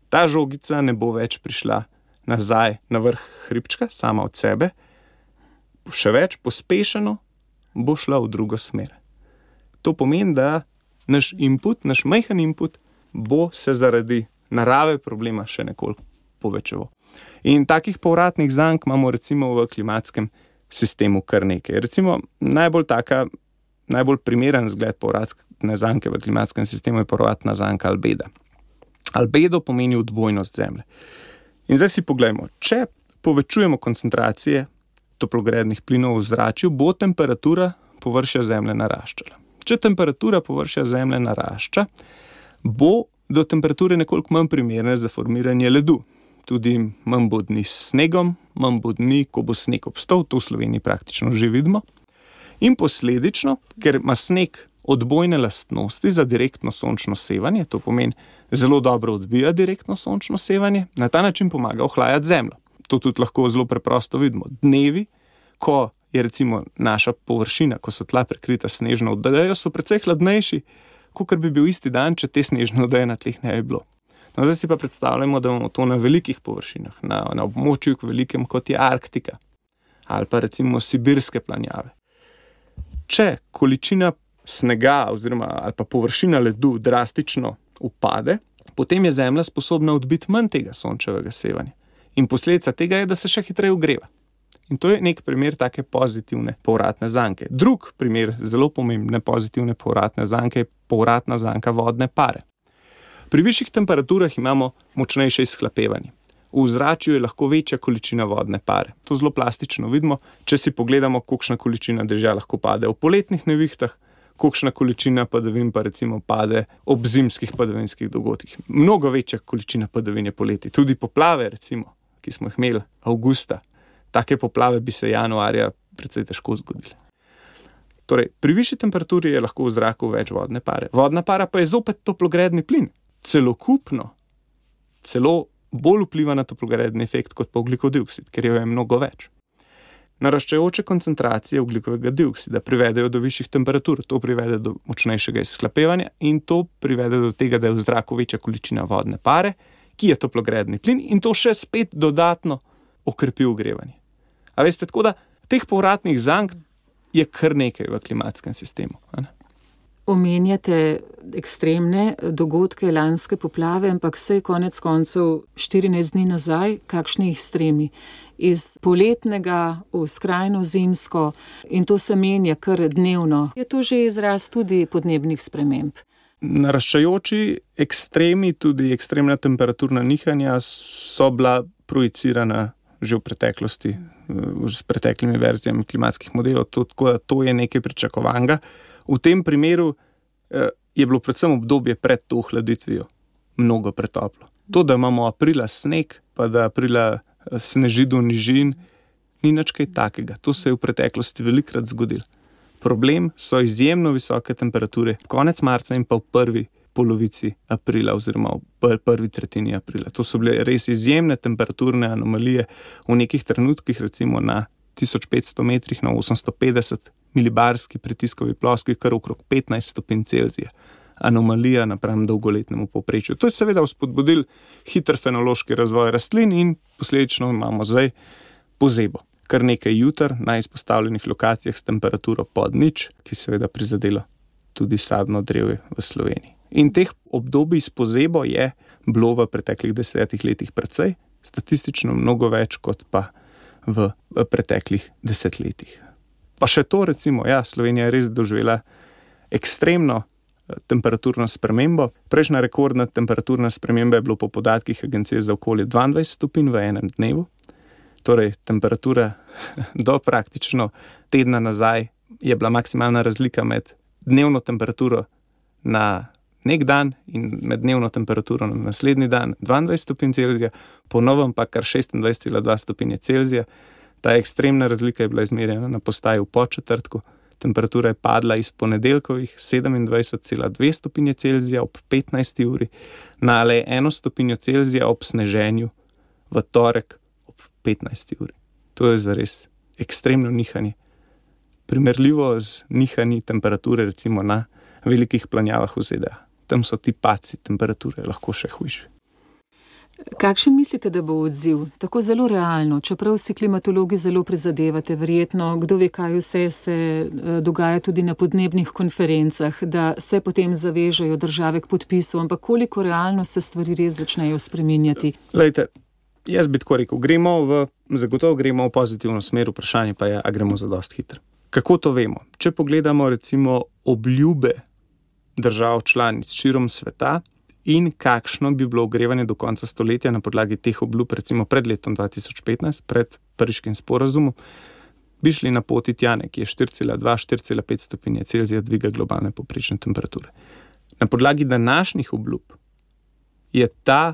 Ta žogica ne bo več prišla nazaj na vrh hribčka, sama od sebe, še več pospešeno bo šla v drugo smer. To pomeni, da naš input, naš majhen input bo se zaradi narave problema še nekoliko povečeval. In takih povratnih zank imamo recimo v klimatskem sistemu kar nekaj. Recimo najbolj taka, najbolj primeren zgled povratne zanke v klimatskem sistemu je povratna zanka albeda. Albedo pomeni odbojnost Zemlje. In zdaj si poglejmo, če povečujemo koncentracije toplogrednih plinov v zračju, bo temperatura površja Zemlje naraščala. Če temperatura površja Zemlje narašča, bo do temperature nekoliko manj primerne za formiranje ledu. Tudi manj bo dni s snegom, manj bo dni, ko bo sneg obstal, to v Sloveniji praktično že vidimo. In posledično, ker ima sneg odbojne lastnosti za direktno sončno sevanje, to pomeni zelo dobro odbija direktno sončno sevanje, na ta način pomaga ohlajati Zemljo. To tudi lahko zelo preprosto vidimo. Dnevi, ko je recimo naša površina, ko so tla prekrita snežno odejo, so precej hladnejši, kakor bi bil isti dan, če te snežne odeje na tleh ne bi bilo. No, zdaj si pa predstavljamo, da imamo to na velikih površinah, na, na območju velikem, kot je Arktika, ali pa recimo sibirske planjave. Če količina snega oziroma ali pa površina ledu drastično upade, potem je Zemlja sposobna odbiti manj tega sončevega sevanja. In posledica tega je, da se še hitreje ogreva. In to je nek primer take pozitivne povratne zanke. Drug primer zelo pomembne pozitivne povratne zanke je povratna zanka vodne pare. Pri višjih temperaturah imamo močnejše izhlapevanje. V zračju je lahko večja količina vodne pare. To zelo plastično vidimo, če si pogledamo, kolikšna količina dežja lahko pade v poletnih nevihtah, kolikšna količina padavin pa recimo pade ob zimskih padavinskih dogodkih. Mnogo večja količina padavin je poleti. Tudi poplave, recimo, ki smo jih imeli avgusta. Take poplave bi se januarja precej težko zgodile. Torej, pri višji temperaturi je lahko v zraku več vodne pare. Vodna para pa je zopet toplogredni plin. Celokupno, celo bolj vpliva na toplogredni efekt kot pa ogljikov dioksid, ker jo je mnogo več. Naraščajoče koncentracije ogljikovega dioksida privedejo do višjih temperatur, to privede do močnejšega izhlapevanja in to privede do tega, da je v zraku večja količina vodne pare, ki je toplogredni plin in to še spet dodatno okrepi ogrevanje. A veste, tako da teh povratnih zank je kar nekaj v klimatskem sistemu. Ne? Omenjate ekstremne dogodke, lanske poplave, ampak saj konec koncev štirinajst dni nazaj, kakšni ekstremi. Iz poletnega v skrajno zimsko in to se menja kar dnevno. Je to že izraz tudi podnebnih sprememb? Naraščajoči ekstremi, tudi ekstremna temperaturna nihanja so bila projicirana že v preteklosti, s preteklimi verzijami klimatskih modelov, to, tako da to je nekaj pričakovanega. V tem primeru eh, je bilo predvsem obdobje pred to ohladitvijo mnogo pretoplo. To, da imamo aprila sneg, pa da aprila sneži do nižin, ni nič kaj takega. To se je v preteklosti velikrat zgodilo. Problem so izjemno visoke temperature konec marca in pa v prvi polovici aprila oziroma v prvi tretjini aprila. To so bile res izjemne temperaturne anomalije v nekih trenutkih, recimo na tisoč petsto metrih, na osemsto petdeset milibarski pritiskovi ploskvi, kar okrog petnajst stopinj Celzija. Anomalija napram dolgoletnemu povprečju. To je seveda vzpodbudil hiter fenološki razvoj rastlin in posledično imamo zdaj pozebo. Kar nekaj jutar na izpostavljenih lokacijah s temperaturo pod nič, ki seveda prizadelo tudi sadno drevje v Sloveniji. In teh obdobij s pozebo je bilo v preteklih desetih letih precej, statistično mnogo več kot pa v preteklih desetletjih. Pa še to recimo, ja, Slovenija je res doživela ekstremno temperaturno spremembo. Prejšnja rekordna temperaturna sprememba je bilo po podatkih Agencije za okolje dvaindvajset stopinj v enem dnevu. Torej, temperatura do praktično tedna nazaj je bila maksimalna razlika med dnevno temperaturo na nek dan in med dnevno temperaturo na naslednji dan dvaindvajset stopinj Celzija, po novem pa kar šestindvajset cela dva stopinje Celzija. Ta ekstremna razlika je bila izmerjena na postaji v Podčetrtku. Temperatura je padla iz ponedeljkovih sedemindvajset cela dve stopinje Celzija ob petnajsti uri na le eno stopinjo Celzija ob sneženju v torek ob petnajsti uri. To je zares ekstremno nihanje. Primerljivo z nihanji temperature recimo na velikih planjavah v Z D A. Tam so ti padci temperature lahko še hujši. Kakšen mislite, da bo odziv? Tako zelo realno, čeprav si klimatologi zelo prizadevate, verjetno, kdo ve, kaj vse se dogaja tudi na podnebnih konferencah, da se potem zavežejo države k podpisu, ampak koliko realno se stvari res začnejo spreminjati? Lejte, jaz bi tako rekel, gremo v, zagotovo gremo v pozitivno smer, vprašanje pa je, a gremo za dost hitro. Kako to vemo? Če pogledamo recimo obljube držav članic širom sveta, in kakšno bi bilo ogrevanje do konca stoletja na podlagi teh obljub, recimo pred letom dva tisoč petnajst, pred Pariškim sporazumom, bi šli na poti tja nekje štiri cela dva do štiri cela pet stopinje Celzija dviga globalne povprečne temperature. Na podlagi današnjih obljub je ta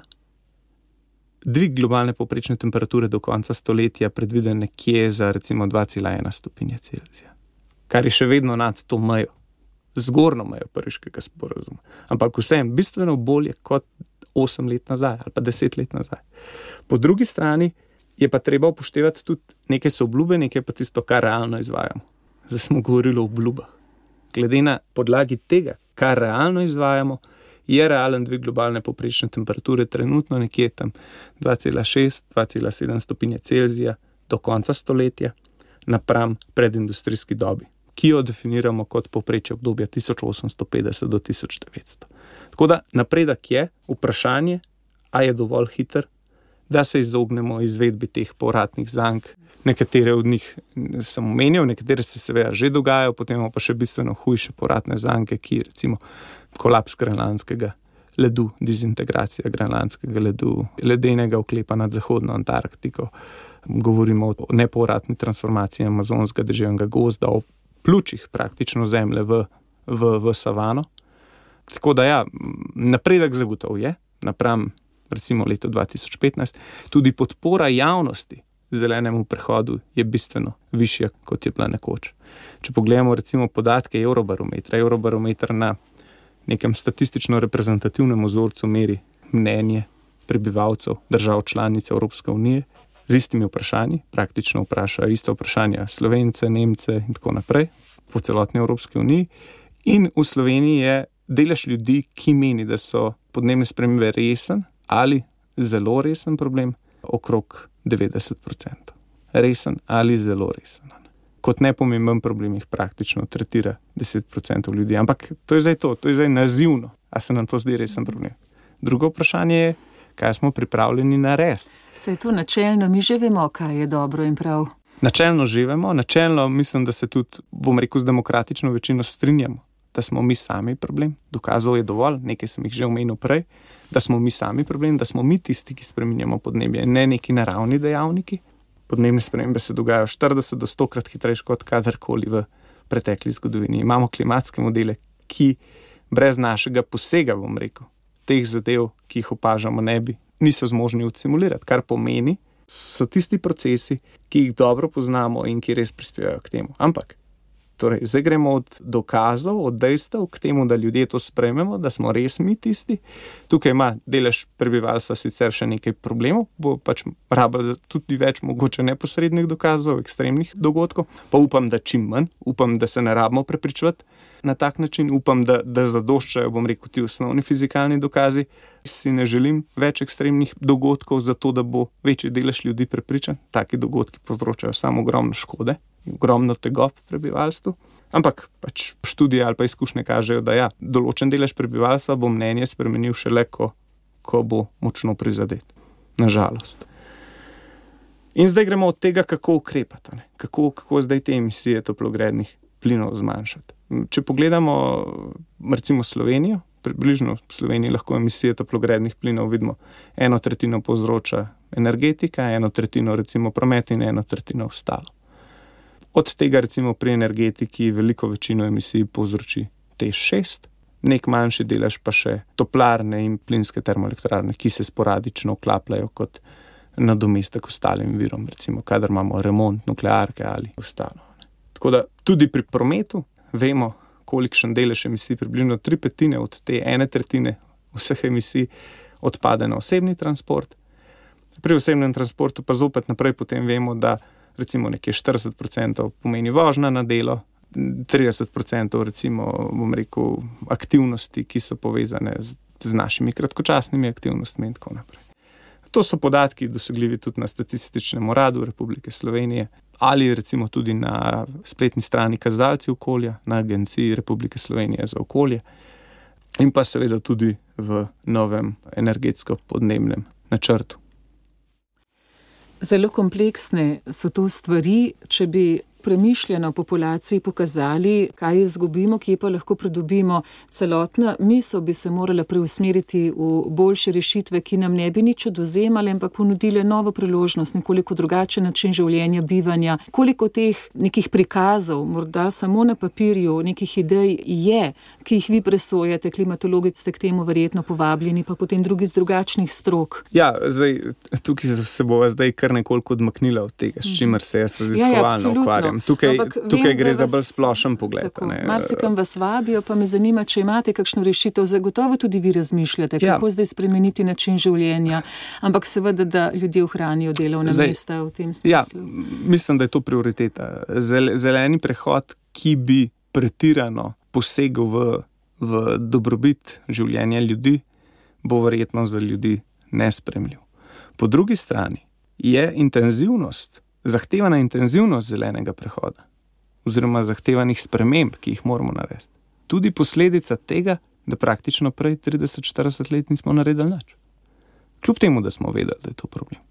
dvig globalne povprečne temperature do konca stoletja predviden nekje za recimo dva cela ena stopinje Celzija, kar je še vedno nad to mejo. Zgornjo mejo Pariškega sporazuma. Ampak vsem bistveno bolje kot osem let nazaj ali pa deset let nazaj. Po drugi strani je pa treba upoštevati tudi nekaj so obljube, nekaj pa tisto, kar realno izvajamo. Zdaj smo govorili o obljubah. Glede na podlagi tega, kar realno izvajamo, je realen dvig globalne povprečne temperature trenutno nekje tam dva cela šest do dva cela sedem stopinje Celzija do konca stoletja napram predindustrijski dobi, ki jo definiramo kot povprečje obdobja tisoč osemsto petdeset do tisoč devetsto. Tako da napredek je, vprašanje, a je dovolj hiter, da se izognemo izvedbi teh povratnih zank. Nekatere od njih sem omenil, nekatere se seveda že dogajajo, potem pa še bistveno hujše povratne zanke, ki recimo kolaps grenlandskega ledu, dezintegracija grenlandskega ledu, ledenega oklepa nad zahodno Antarktiko. Govorimo o nepovratni transformaciji amazonskega deževnega gozda, o pljučih praktično zemlje v, v, v savano. Tako da ja, napredek zagotovo je, napram recimo leto dva tisoč petnajst, tudi podpora javnosti zelenemu prehodu je bistveno višja, kot je bila nekoč. Če pogledamo recimo podatke Eurobarometra, Eurobarometer na nekem statistično reprezentativnem vzorcu meri mnenje prebivalcev držav članic Evropske unije, z istimi vprašanji, praktično vprašajo ista vprašanja Slovence, Nemce in tako naprej, po celotni Evropski uniji. In v Sloveniji je delež ljudi, ki meni, da so podnebne spremembe resen ali zelo resen problem, okrog devetdeset procentov. Resen ali zelo resen. Kot nepomemben problem jih praktično tretira deset procentov ljudi. Ampak to je zdaj to, to je zdaj nazivno. A se nam to zdi resen problem? Drugo vprašanje je, kaj smo pripravljeni narediti. Saj to načelno, mi že vemo, kaj je dobro in prav. Načelno že vemo, načelno mislim, da se tudi, bom rekel, z demokratično večino strinjamo, da smo mi sami problem. Dokazov je dovolj, nekaj sem jih že omenil prej, da smo mi sami problem, da smo mi tisti, ki spreminjamo podnebje, ne neki naravni dejavniki. Podnebne spremembe se dogajajo štirideset do sto krat hitrejše kot kadarkoli v pretekli zgodovini. Imamo klimatske modele, ki brez našega posega, bom rekel, teh zadev, ki jih opažamo, ne bi, niso zmožni odsimulirati, kar pomeni, so tisti procesi, ki jih dobro poznamo in ki res prispevajo k temu. Ampak, torej, zdaj gremo od dokazov, od dejstev k temu, da ljudje to sprejmemo, da smo res mi tisti. Tukaj ima delež prebivalstva sicer še nekaj problemov, bo pač rabili tudi več mogoče neposrednih dokazov, ekstremnih dogodkov, pa upam, da čim manj, upam, da se ne rabimo prepričevati na tak način, upam, da, da zadoščajo, bom rekel, ti osnovni fizikalni dokazi. Si ne želim več ekstremnih dogodkov, zato da bo večji delež ljudi prepričan. Taki dogodki povzročajo samo ogromno škode, ogromno tegob prebivalstvu. Ampak pač študije ali pa izkušnje kažejo, da ja, določen delež prebivalstva bo mnenje spremenil šele, ko, ko bo močno prizadet. Nažalost. In zdaj gremo od tega, kako ukrepati, ne? Kako, kako zdaj te emisije toplogrednih plinov zmanjšati. Če pogledamo recimo Slovenijo, približno v Sloveniji lahko emisije toplogrednih plinov vidimo, eno tretjino povzroča energetika, eno tretjino recimo promet in eno tretjino ostalo. Od tega recimo pri energetiki veliko večino emisij povzroči T E Š šest, nek manjši delež pa še toplarne in plinske termoelektrarne, ki se sporadično vklapljajo kot nadomestek ostalim virom, recimo kadar imamo remont nuklearke ali ostalo. Tako da tudi pri prometu vemo, kolikšen delež emisij, približno tri petine od te ene tretjine vseh emisij odpade na osebni transport. Pri osebnem transportu pa zopet naprej potem vemo, da recimo nekje štirideset procentov pomeni vožnja na delo, trideset procentov recimo, bom rekel, aktivnosti, ki so povezane z, z našimi kratkočasnimi aktivnostmi in tako naprej. To so podatki dosegljivi tudi na Statističnem uradu Republike Slovenije ali recimo tudi na spletni strani Kazalci okolja, na Agenciji Republike Slovenije za okolje in pa seveda tudi v novem energetsko-podnebnem načrtu. Zelo kompleksne so to stvari, če bi premišljeno populaciji pokazali, kaj izgubimo, kje pa lahko pridobimo. Celotna misel bi se morala preusmeriti v boljše rešitve, ki nam ne bi nič odvzemale, ampak ponudile novo priložnost, nekoliko drugačen način življenja, bivanja. Koliko teh nekih prikazov, morda samo na papirju, nekih idej je, ki jih vi presojate, klimatologi ste k temu verjetno povabljeni, pa potem drugi z drugačnih strok. Ja, zdaj, tukaj se bova zdaj kar nekoliko odmaknila od tega, s čimer se jaz raziskovalno ukvarjam. Tukaj, tukaj vem, gre za bolj splošen pogled. Marsikam vas vabijo, pa me zanima, če imate kakšno rešitev. Zagotovo tudi vi razmišljate, kako ja. zdaj spremeniti način življenja, ampak seveda, da ljudje ohranijo delovna mesta v tem smislu. Ja, mislim, da je to prioriteta. Zeleni prehod, ki bi pretirano posegel v, v dobrobit življenja ljudi, bo verjetno za ljudi nespremljiv. Po drugi strani je intenzivnost zahtevana intenzivnost zelenega prehoda oziroma zahtevanih sprememb, ki jih moramo narediti. Tudi posledica tega, da praktično prej trideset štirideset let nismo naredili nič. Kljub temu, da smo vedeli, da je to problem.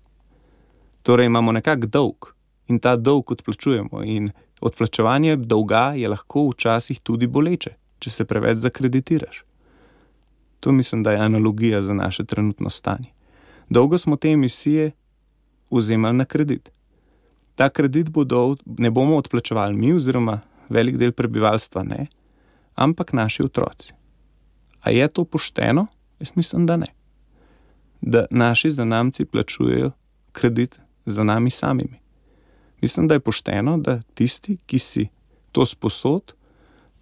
Torej imamo nekak dolg in ta dolg odplačujemo in odplačevanje dolga je lahko včasih tudi boleče, če se preveč zakreditiraš. To mislim, da je analogija za naše trenutno stanje. Dolgo smo te emisije vzemali na kredit. Ta kredit bodo, ne bomo odplačevali mi oziroma velik del prebivalstva ne, ampak naši otroci. A je to pošteno? Jaz mislim, da ne. Da naši zanamci plačujejo kredit za nami samimi. Mislim, da je pošteno, da tisti, ki si to sposod,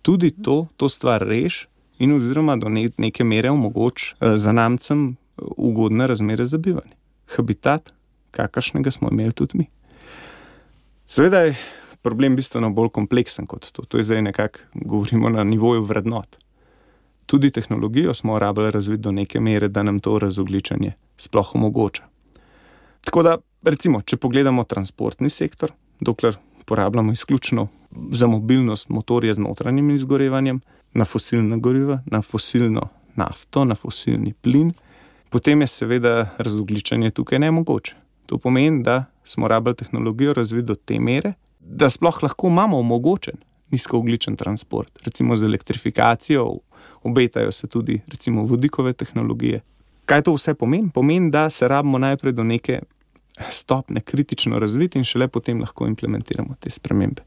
tudi to, to stvar reš in oziroma do neke mere omogoč zanamcem ugodne razmere za bivanje. Habitat, kakršnega smo imeli tudi mi. Seveda je problem bistveno bolj kompleksen kot to. To je zdaj nekako, govorimo na nivoju vrednot. Tudi tehnologijo smo rabili razviti do neke mere, da nam to razogličenje sploh omogoča. Tako da, recimo, če pogledamo transportni sektor, dokler porabljamo izključno za mobilnost motorje z notranjim izgorevanjem, na fosilna goriva, na fosilno nafto, na fosilni plin, potem je seveda razogličenje tukaj nemogoče. To pomeni, da smo rabili tehnologijo razviti do te mere, da sploh lahko imamo omogočen nizkoogljičen transport. Recimo z elektrifikacijo obetajo se tudi recimo vodikove tehnologije. Kaj to vse pomeni? Pomeni, da se rabimo najprej do neke stopne kritično razviti in šele potem lahko implementiramo te spremembe.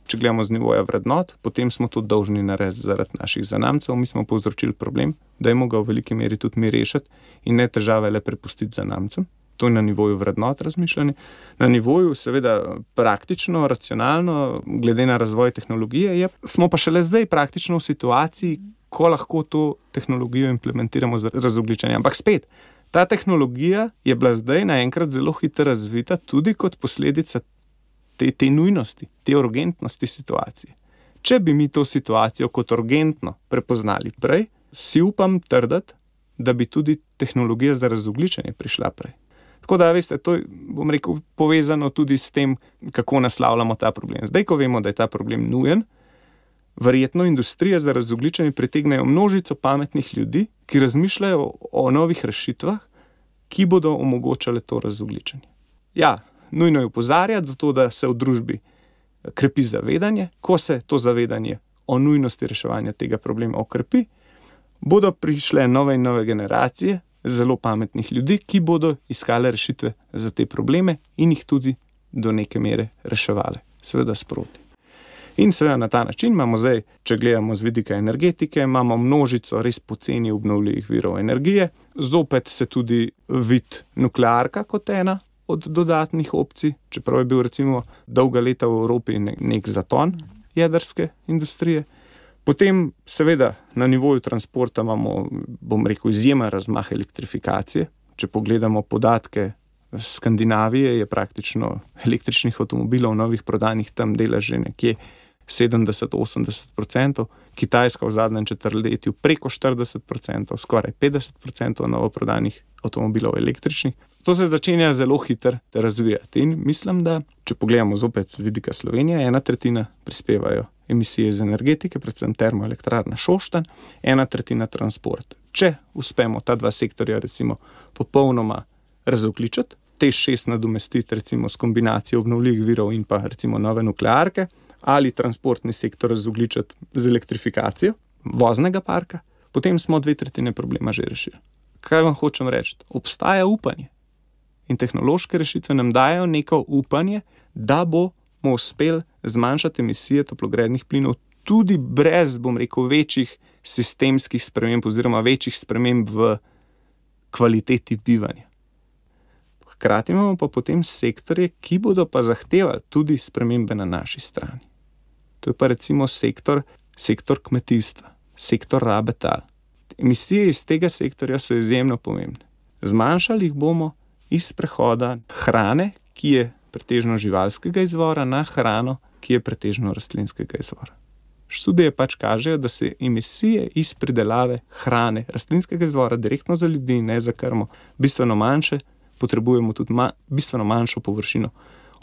Če gledamo z nivoja vrednot, potem smo to dolžni narediti zaradi naših zanamcev. Mi smo povzročili problem, da jemo ga v veliki meri tudi mi rešiti in ne težave le prepustiti zanamcem. To je na nivoju vrednot razmišljanje. Na nivoju seveda praktično, racionalno, glede na razvoj tehnologije, je, smo pa šele zdaj praktično v situaciji, ko lahko to tehnologijo implementiramo za razogličenje. Ampak spet, ta tehnologija je bila zdaj naenkrat zelo hitro razvita tudi kot posledica te, te nujnosti, te urgentnosti situacije. Če bi mi to situacijo kot urgentno prepoznali prej, si upam trditi, da bi tudi tehnologija za razogličenje prišla prej. Tako da, veste, to je, bom rekel, povezano tudi s tem, kako naslavljamo ta problem. Zdaj, ko vemo, da je ta problem nujen, verjetno industrija za razogličenje pritegnejo množico pametnih ljudi, ki razmišljajo o novih rešitvah, ki bodo omogočale to razogličenje. Ja, nujno je opozarjati, zato da se v družbi krepi zavedanje. Ko se to zavedanje o nujnosti reševanja tega problema okrepi, bodo prišle nove in nove generacije zelo pametnih ljudi, ki bodo iskale rešitve za te probleme in jih tudi do neke mere reševale. Seveda sproti. In seveda na ta način imamo zdaj, če gledamo z vidika energetike, imamo množico res poceni obnovljivih virov energije. Zopet se tudi vidi nuklearka kot ena od dodatnih opcij, čeprav je bil recimo dolga leta v Evropi nek zaton jedrske industrije. Potem seveda na nivoju transporta imamo, bom rekel, izjemen razmah elektrifikacije. Če pogledamo podatke Skandinavije je praktično električnih avtomobilov novih prodanih tam dela že nekje sedemdeset do osemdeset procent, Kitajska v zadnjem četrtletju preko štirideset procent, skoraj petdeset procent novo prodanih avtomobilov električnih. To se začenja zelo hitro razvijati in mislim, da če pogledamo zopet z vidika Slovenije, ena tretjina prispevajo emisije iz energetike, predvsem termoelektrarna Šoštanj, ena tretjina transport. Če uspemo ta dva sektorja recimo popolnoma razogljičiti, te šest nadomestiti recimo s kombinacijo obnovljivih virov in pa recimo nove nuklearke, ali transportni sektor razogljičiti z elektrifikacijo voznega parka, potem smo dve tretjine problema že rešili. Kaj vam hočem reči? Obstaja upanje. In tehnološke rešitve nam dajo neko upanje, da bomo uspeli zmanjšati emisije toplogrednih plinov tudi brez, bom rekel, večjih sistemskih sprememb oziroma večjih sprememb v kvaliteti bivanja. Hkrati imamo pa potem sektorje, ki bodo pa zahtevali tudi spremembe na naši strani. To je pa recimo sektor, sektor kmetijstva, sektor rabe tal. Emisije iz tega sektorja so izjemno pomembne. Zmanjšali jih bomo iz prehoda hrane, ki je pretežno živalskega izvora, na hrano, ki je pretežno rastlinskega izvora. Študije pač kažejo, da se emisije iz pridelave hrane rastlinskega izvora direktno za ljudi, ne za krmo, bistveno manjše, potrebujemo tudi ma, bistveno manjšo površino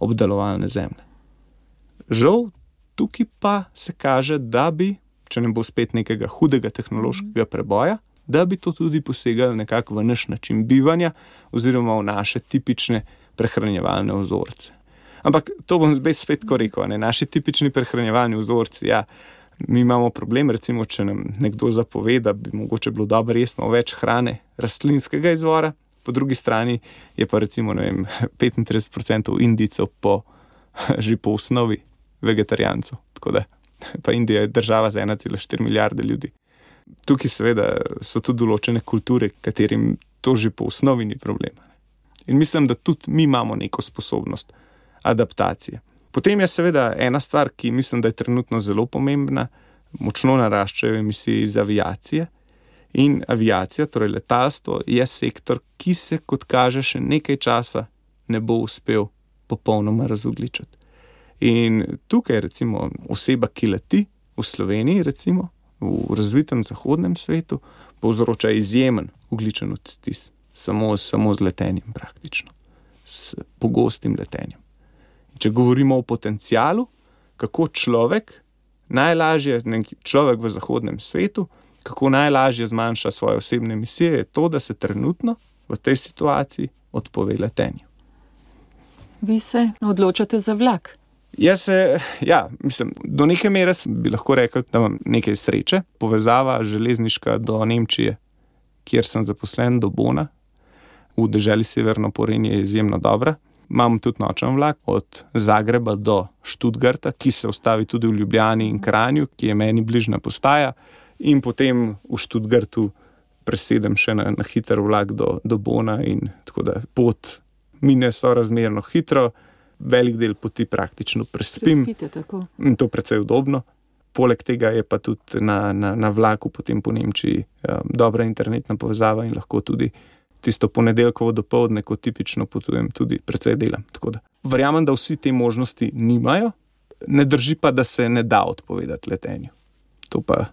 obdelovalne zemlje. Žal, tukaj pa se kaže, da bi, če ne bo spet nekega hudega tehnološkega preboja, da bi to tudi posegali nekako v naš način bivanja oziroma v naše tipične prehranjevalne vzorce. Ampak to bom spet, spet ko rekel, ne? Naši tipični prehranjevalni vzorci, ja, mi imamo problem, recimo, če nam nekdo zapove, da bi mogoče bilo dobro jesmo več hrane rastlinskega izvora, po drugi strani je pa recimo, ne vem, petintrideset procent Indijcev po, že po osnovi vegetarijancev, tako da pa Indija je država z ena cela štiri milijarde ljudi. Tukaj seveda so tudi določene kulture, katerim to že po osnovi ni problema. In mislim, da tudi mi imamo neko sposobnost adaptacije. Potem je seveda ena stvar, ki mislim, da je trenutno zelo pomembna, močno naraščajo emisije iz aviacije in aviacija, torej letalstvo, je sektor, ki se, kot kaže, še nekaj časa ne bo uspel popolnoma razogljičiti. In tukaj recimo oseba, ki leti v Sloveniji, recimo v razvitem zahodnem svetu, povzroča izjemen ogljičen odtis, samo, samo z letenjem praktično, s pogostim letenjem. In če govorimo o potencialu, kako človek najlažje, človek v zahodnem svetu, kako najlažje zmanjša svoje osebne emisije, je to, da se trenutno v tej situaciji odpove letenju. Vi se odločate za vlak? Jaz se, ja, mislim, do neke mere bi lahko rekel, da imam nekaj sreče. Povezava železniška do Nemčije, kjer sem zaposlen, do Bona, v deželi Severno Porenje, je izjemno dobra. Imam tudi nočen vlak od Zagreba do Študgarta, ki se ustavi tudi v Ljubljani in Kranju, ki je meni bližnja postaja, in potem v Študgartu presedem še na, na hiter vlak do, do Bona, in tako da pot mine sorazmerno hitro. Velik del poti praktično prespim. Prespite, tako. In to precej udobno. Poleg tega je pa tudi na, na, na vlaku potem po Nemčiji um, dobra internetna povezava in lahko tudi tisto ponedeljkovo dopoldne, ko tipično potujem, tudi precej delam. Tako da verjamem, da vsi te možnosti nimajo, ne drži pa, da se ne da odpovedati letenju. To pa...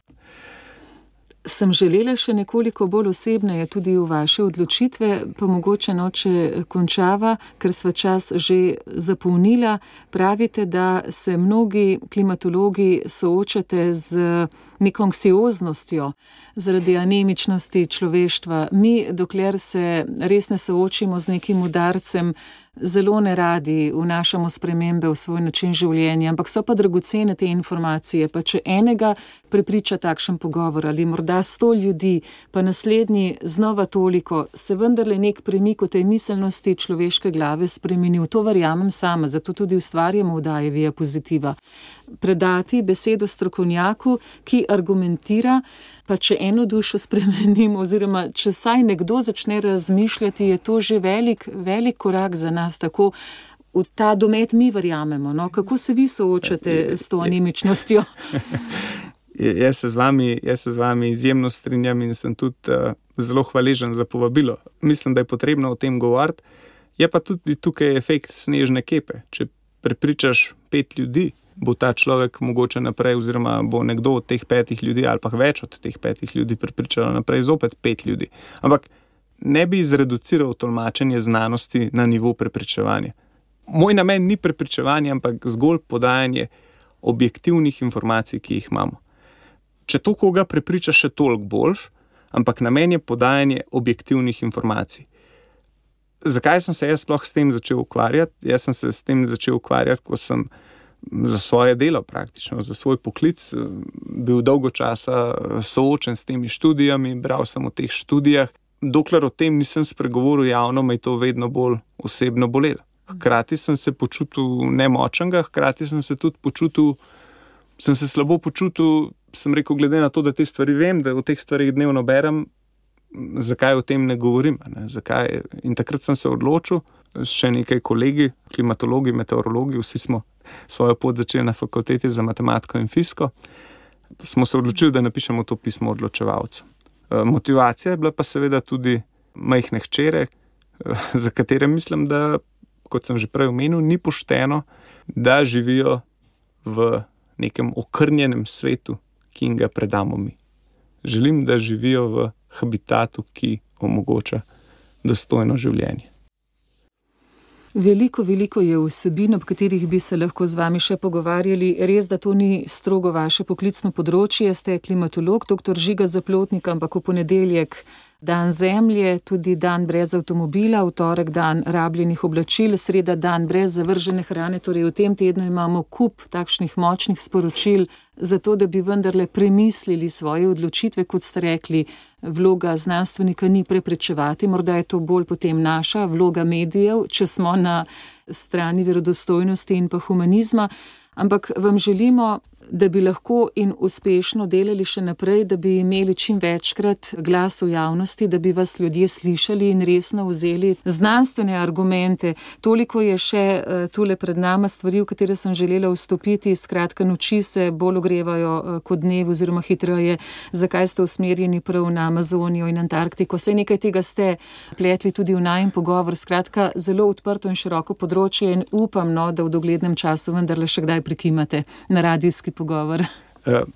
Sem želela še nekoliko bolj osebneje tudi v vaše odločitve, pa mogoče noče končava, ker sva čas že zapolnila. Pravite, da se mnogi klimatologi soočate z neko anksioznostjo zaradi anemičnosti človeštva. Mi, dokler se res ne soočimo z nekim udarcem, zelo neradi vnašamo spremembe v svoj način življenja, ampak so pa dragocene te informacije, pa če enega prepriča takšen pogovor ali morda sto ljudi, pa naslednji znova toliko, se vendarle nek premik v tej miselnosti človeške glave spremenil. To verjamem sama, zato tudi ustvarjamo vdaje Via Positiva. Predati besedo strokovnjaku, ki argumentira, pa če eno dušo spremenimo, oziroma če saj nekdo začne razmišljati, je to že velik, velik korak za nas, tako v ta domet mi verjamemo. No? Kako se vi soočate s to anemičnostjo? Jaz se z vami, jaz se z vami izjemno strinjam in sem tudi uh, zelo hvaležen za povabilo. Mislim, da je potrebno o tem govoriti Je pa tudi tukaj efekt snežne kepe. Če prepričaš pet ljudi, bo ta človek mogoče naprej, oziroma bo nekdo od teh petih ljudi ali pa več od teh petih ljudi prepričalo naprej zopet pet ljudi. Ampak ne bi zreduciral tolmačenje znanosti na nivo prepričevanja. Moj namen ni prepričevanje, ampak zgolj podajanje objektivnih informacij, ki jih imamo. Če to koga prepriča, še toliko boljš, ampak namen je podajanje objektivnih informacij. Zakaj sem se jaz sploh s tem začel ukvarjati? Jaz sem se s tem začel ukvarjati, ko sem za svoje delo praktično, za svoj poklic bil dolgo časa soočen s temi študijami, bral sem o teh študijah. Dokler o tem nisem spregovoril javno, me je to vedno bolj osebno bolelo. Hkrati sem se počutil nemočnega, hkrati sem se tudi počutil, sem se slabo počutil, sem rekel, glede na to, da te stvari vem, da o teh stvarih dnevno berem, zakaj o tem ne govorim, ne? Zakaj? In takrat sem se odločil, še nekaj kolegi, klimatologi, meteorologi, vsi smo svojo pot začeli na fakulteti za matematiko in fiziko, smo se odločili, da napišemo to pismo odločevalcu. Motivacija je bila pa seveda tudi majhne hčere, za katere mislim, da, kot sem že prej omenil, ni pošteno, da živijo v nekem okrnjenem svetu, ki jim ga predamo mi. Želim, da živijo v habitatu, ki omogoča dostojno življenje. Veliko, veliko je vsebin, ob katerih bi se lahko z vami še pogovarjali. Res, da to ni strogo vaše poklicno področje, ste klimatolog, doktor Žiga Zaplotnik, ampak v ponedeljek dan Zemlje, tudi dan brez avtomobila, v torek dan rabljenih oblačil, sreda dan brez zavržene hrane, torej v tem tednu imamo kup takšnih močnih sporočil, zato da bi vendarle premislili svoje odločitve, kot ste rekli, vloga znanstvenika ni preprečevati, morda je to bolj potem naša vloga medijev, če smo na strani verodostojnosti in pa humanizma, ampak vam želimo, da bi lahko in uspešno delali še naprej, da bi imeli čim večkrat glas v javnosti, da bi vas ljudje slišali in resno vzeli znanstvene argumente. Toliko je še tule pred nama stvari, v katere sem želela vstopiti, skratka noči se bolj ogrevajo kot dnevi oziroma hitreje. Zakaj ste usmerjeni prav na Amazonijo in Antarktiko? Saj nekaj tega ste pletli tudi v najin pogovor. Skratka, zelo odprto in široko področje in upam, no, da v doglednem času vendarle še kdaj prikimate na radijski pogovor.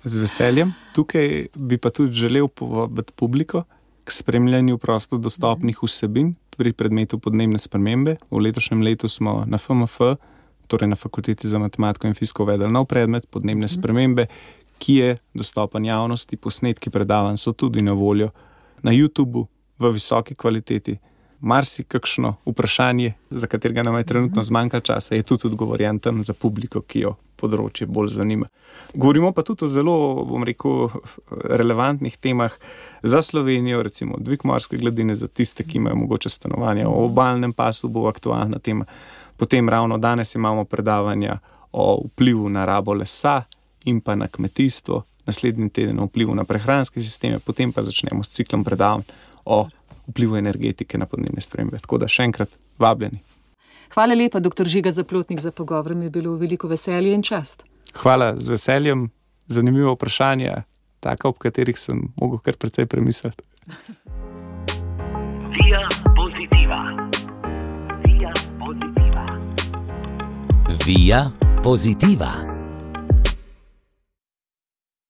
Z veseljem. Tukaj bi pa tudi želel povabiti publiko k spremljanju prosto dostopnih vsebin pri predmetu podnebne spremembe. V letošnjem letu smo na F M F, torej na Fakulteti za matematiko in fiziko, uvedli nov predmet podnebne spremembe, ki je dostopen javnosti. Posnetki predavanj so tudi na voljo na YouTubu v visoki kvaliteti. Marsikakšno vprašanje, za katerega nam je trenutno zmanjkalo časa, je tudi odgovorjen tam za publiko, ki jo področje bolj zanima. Govorimo pa tudi o zelo, bom rekel, relevantnih temah za Slovenijo, recimo dvig morske gladine za tiste, ki imajo mogoče stanovanja. O obalnem pasu bo aktualna tema. Potem ravno danes imamo predavanja o vplivu na rabo lesa in pa na kmetijstvo, naslednji teden o vplivu na prehranske sisteme, potem pa začnemo s ciklom predavanj o vplivu energetike na podnebne spremembe. Tako da še enkrat vabljeni. Hvala lepa, doktor Žiga Zaplotnik, za pogovor. Mi je bilo veliko veselje in čast. Hvala, z veseljem. Zanimivo vprašanje, taka, ob katerih sem mogel kar precej premisliti. Via Positiva. Via Positiva. Via Positiva.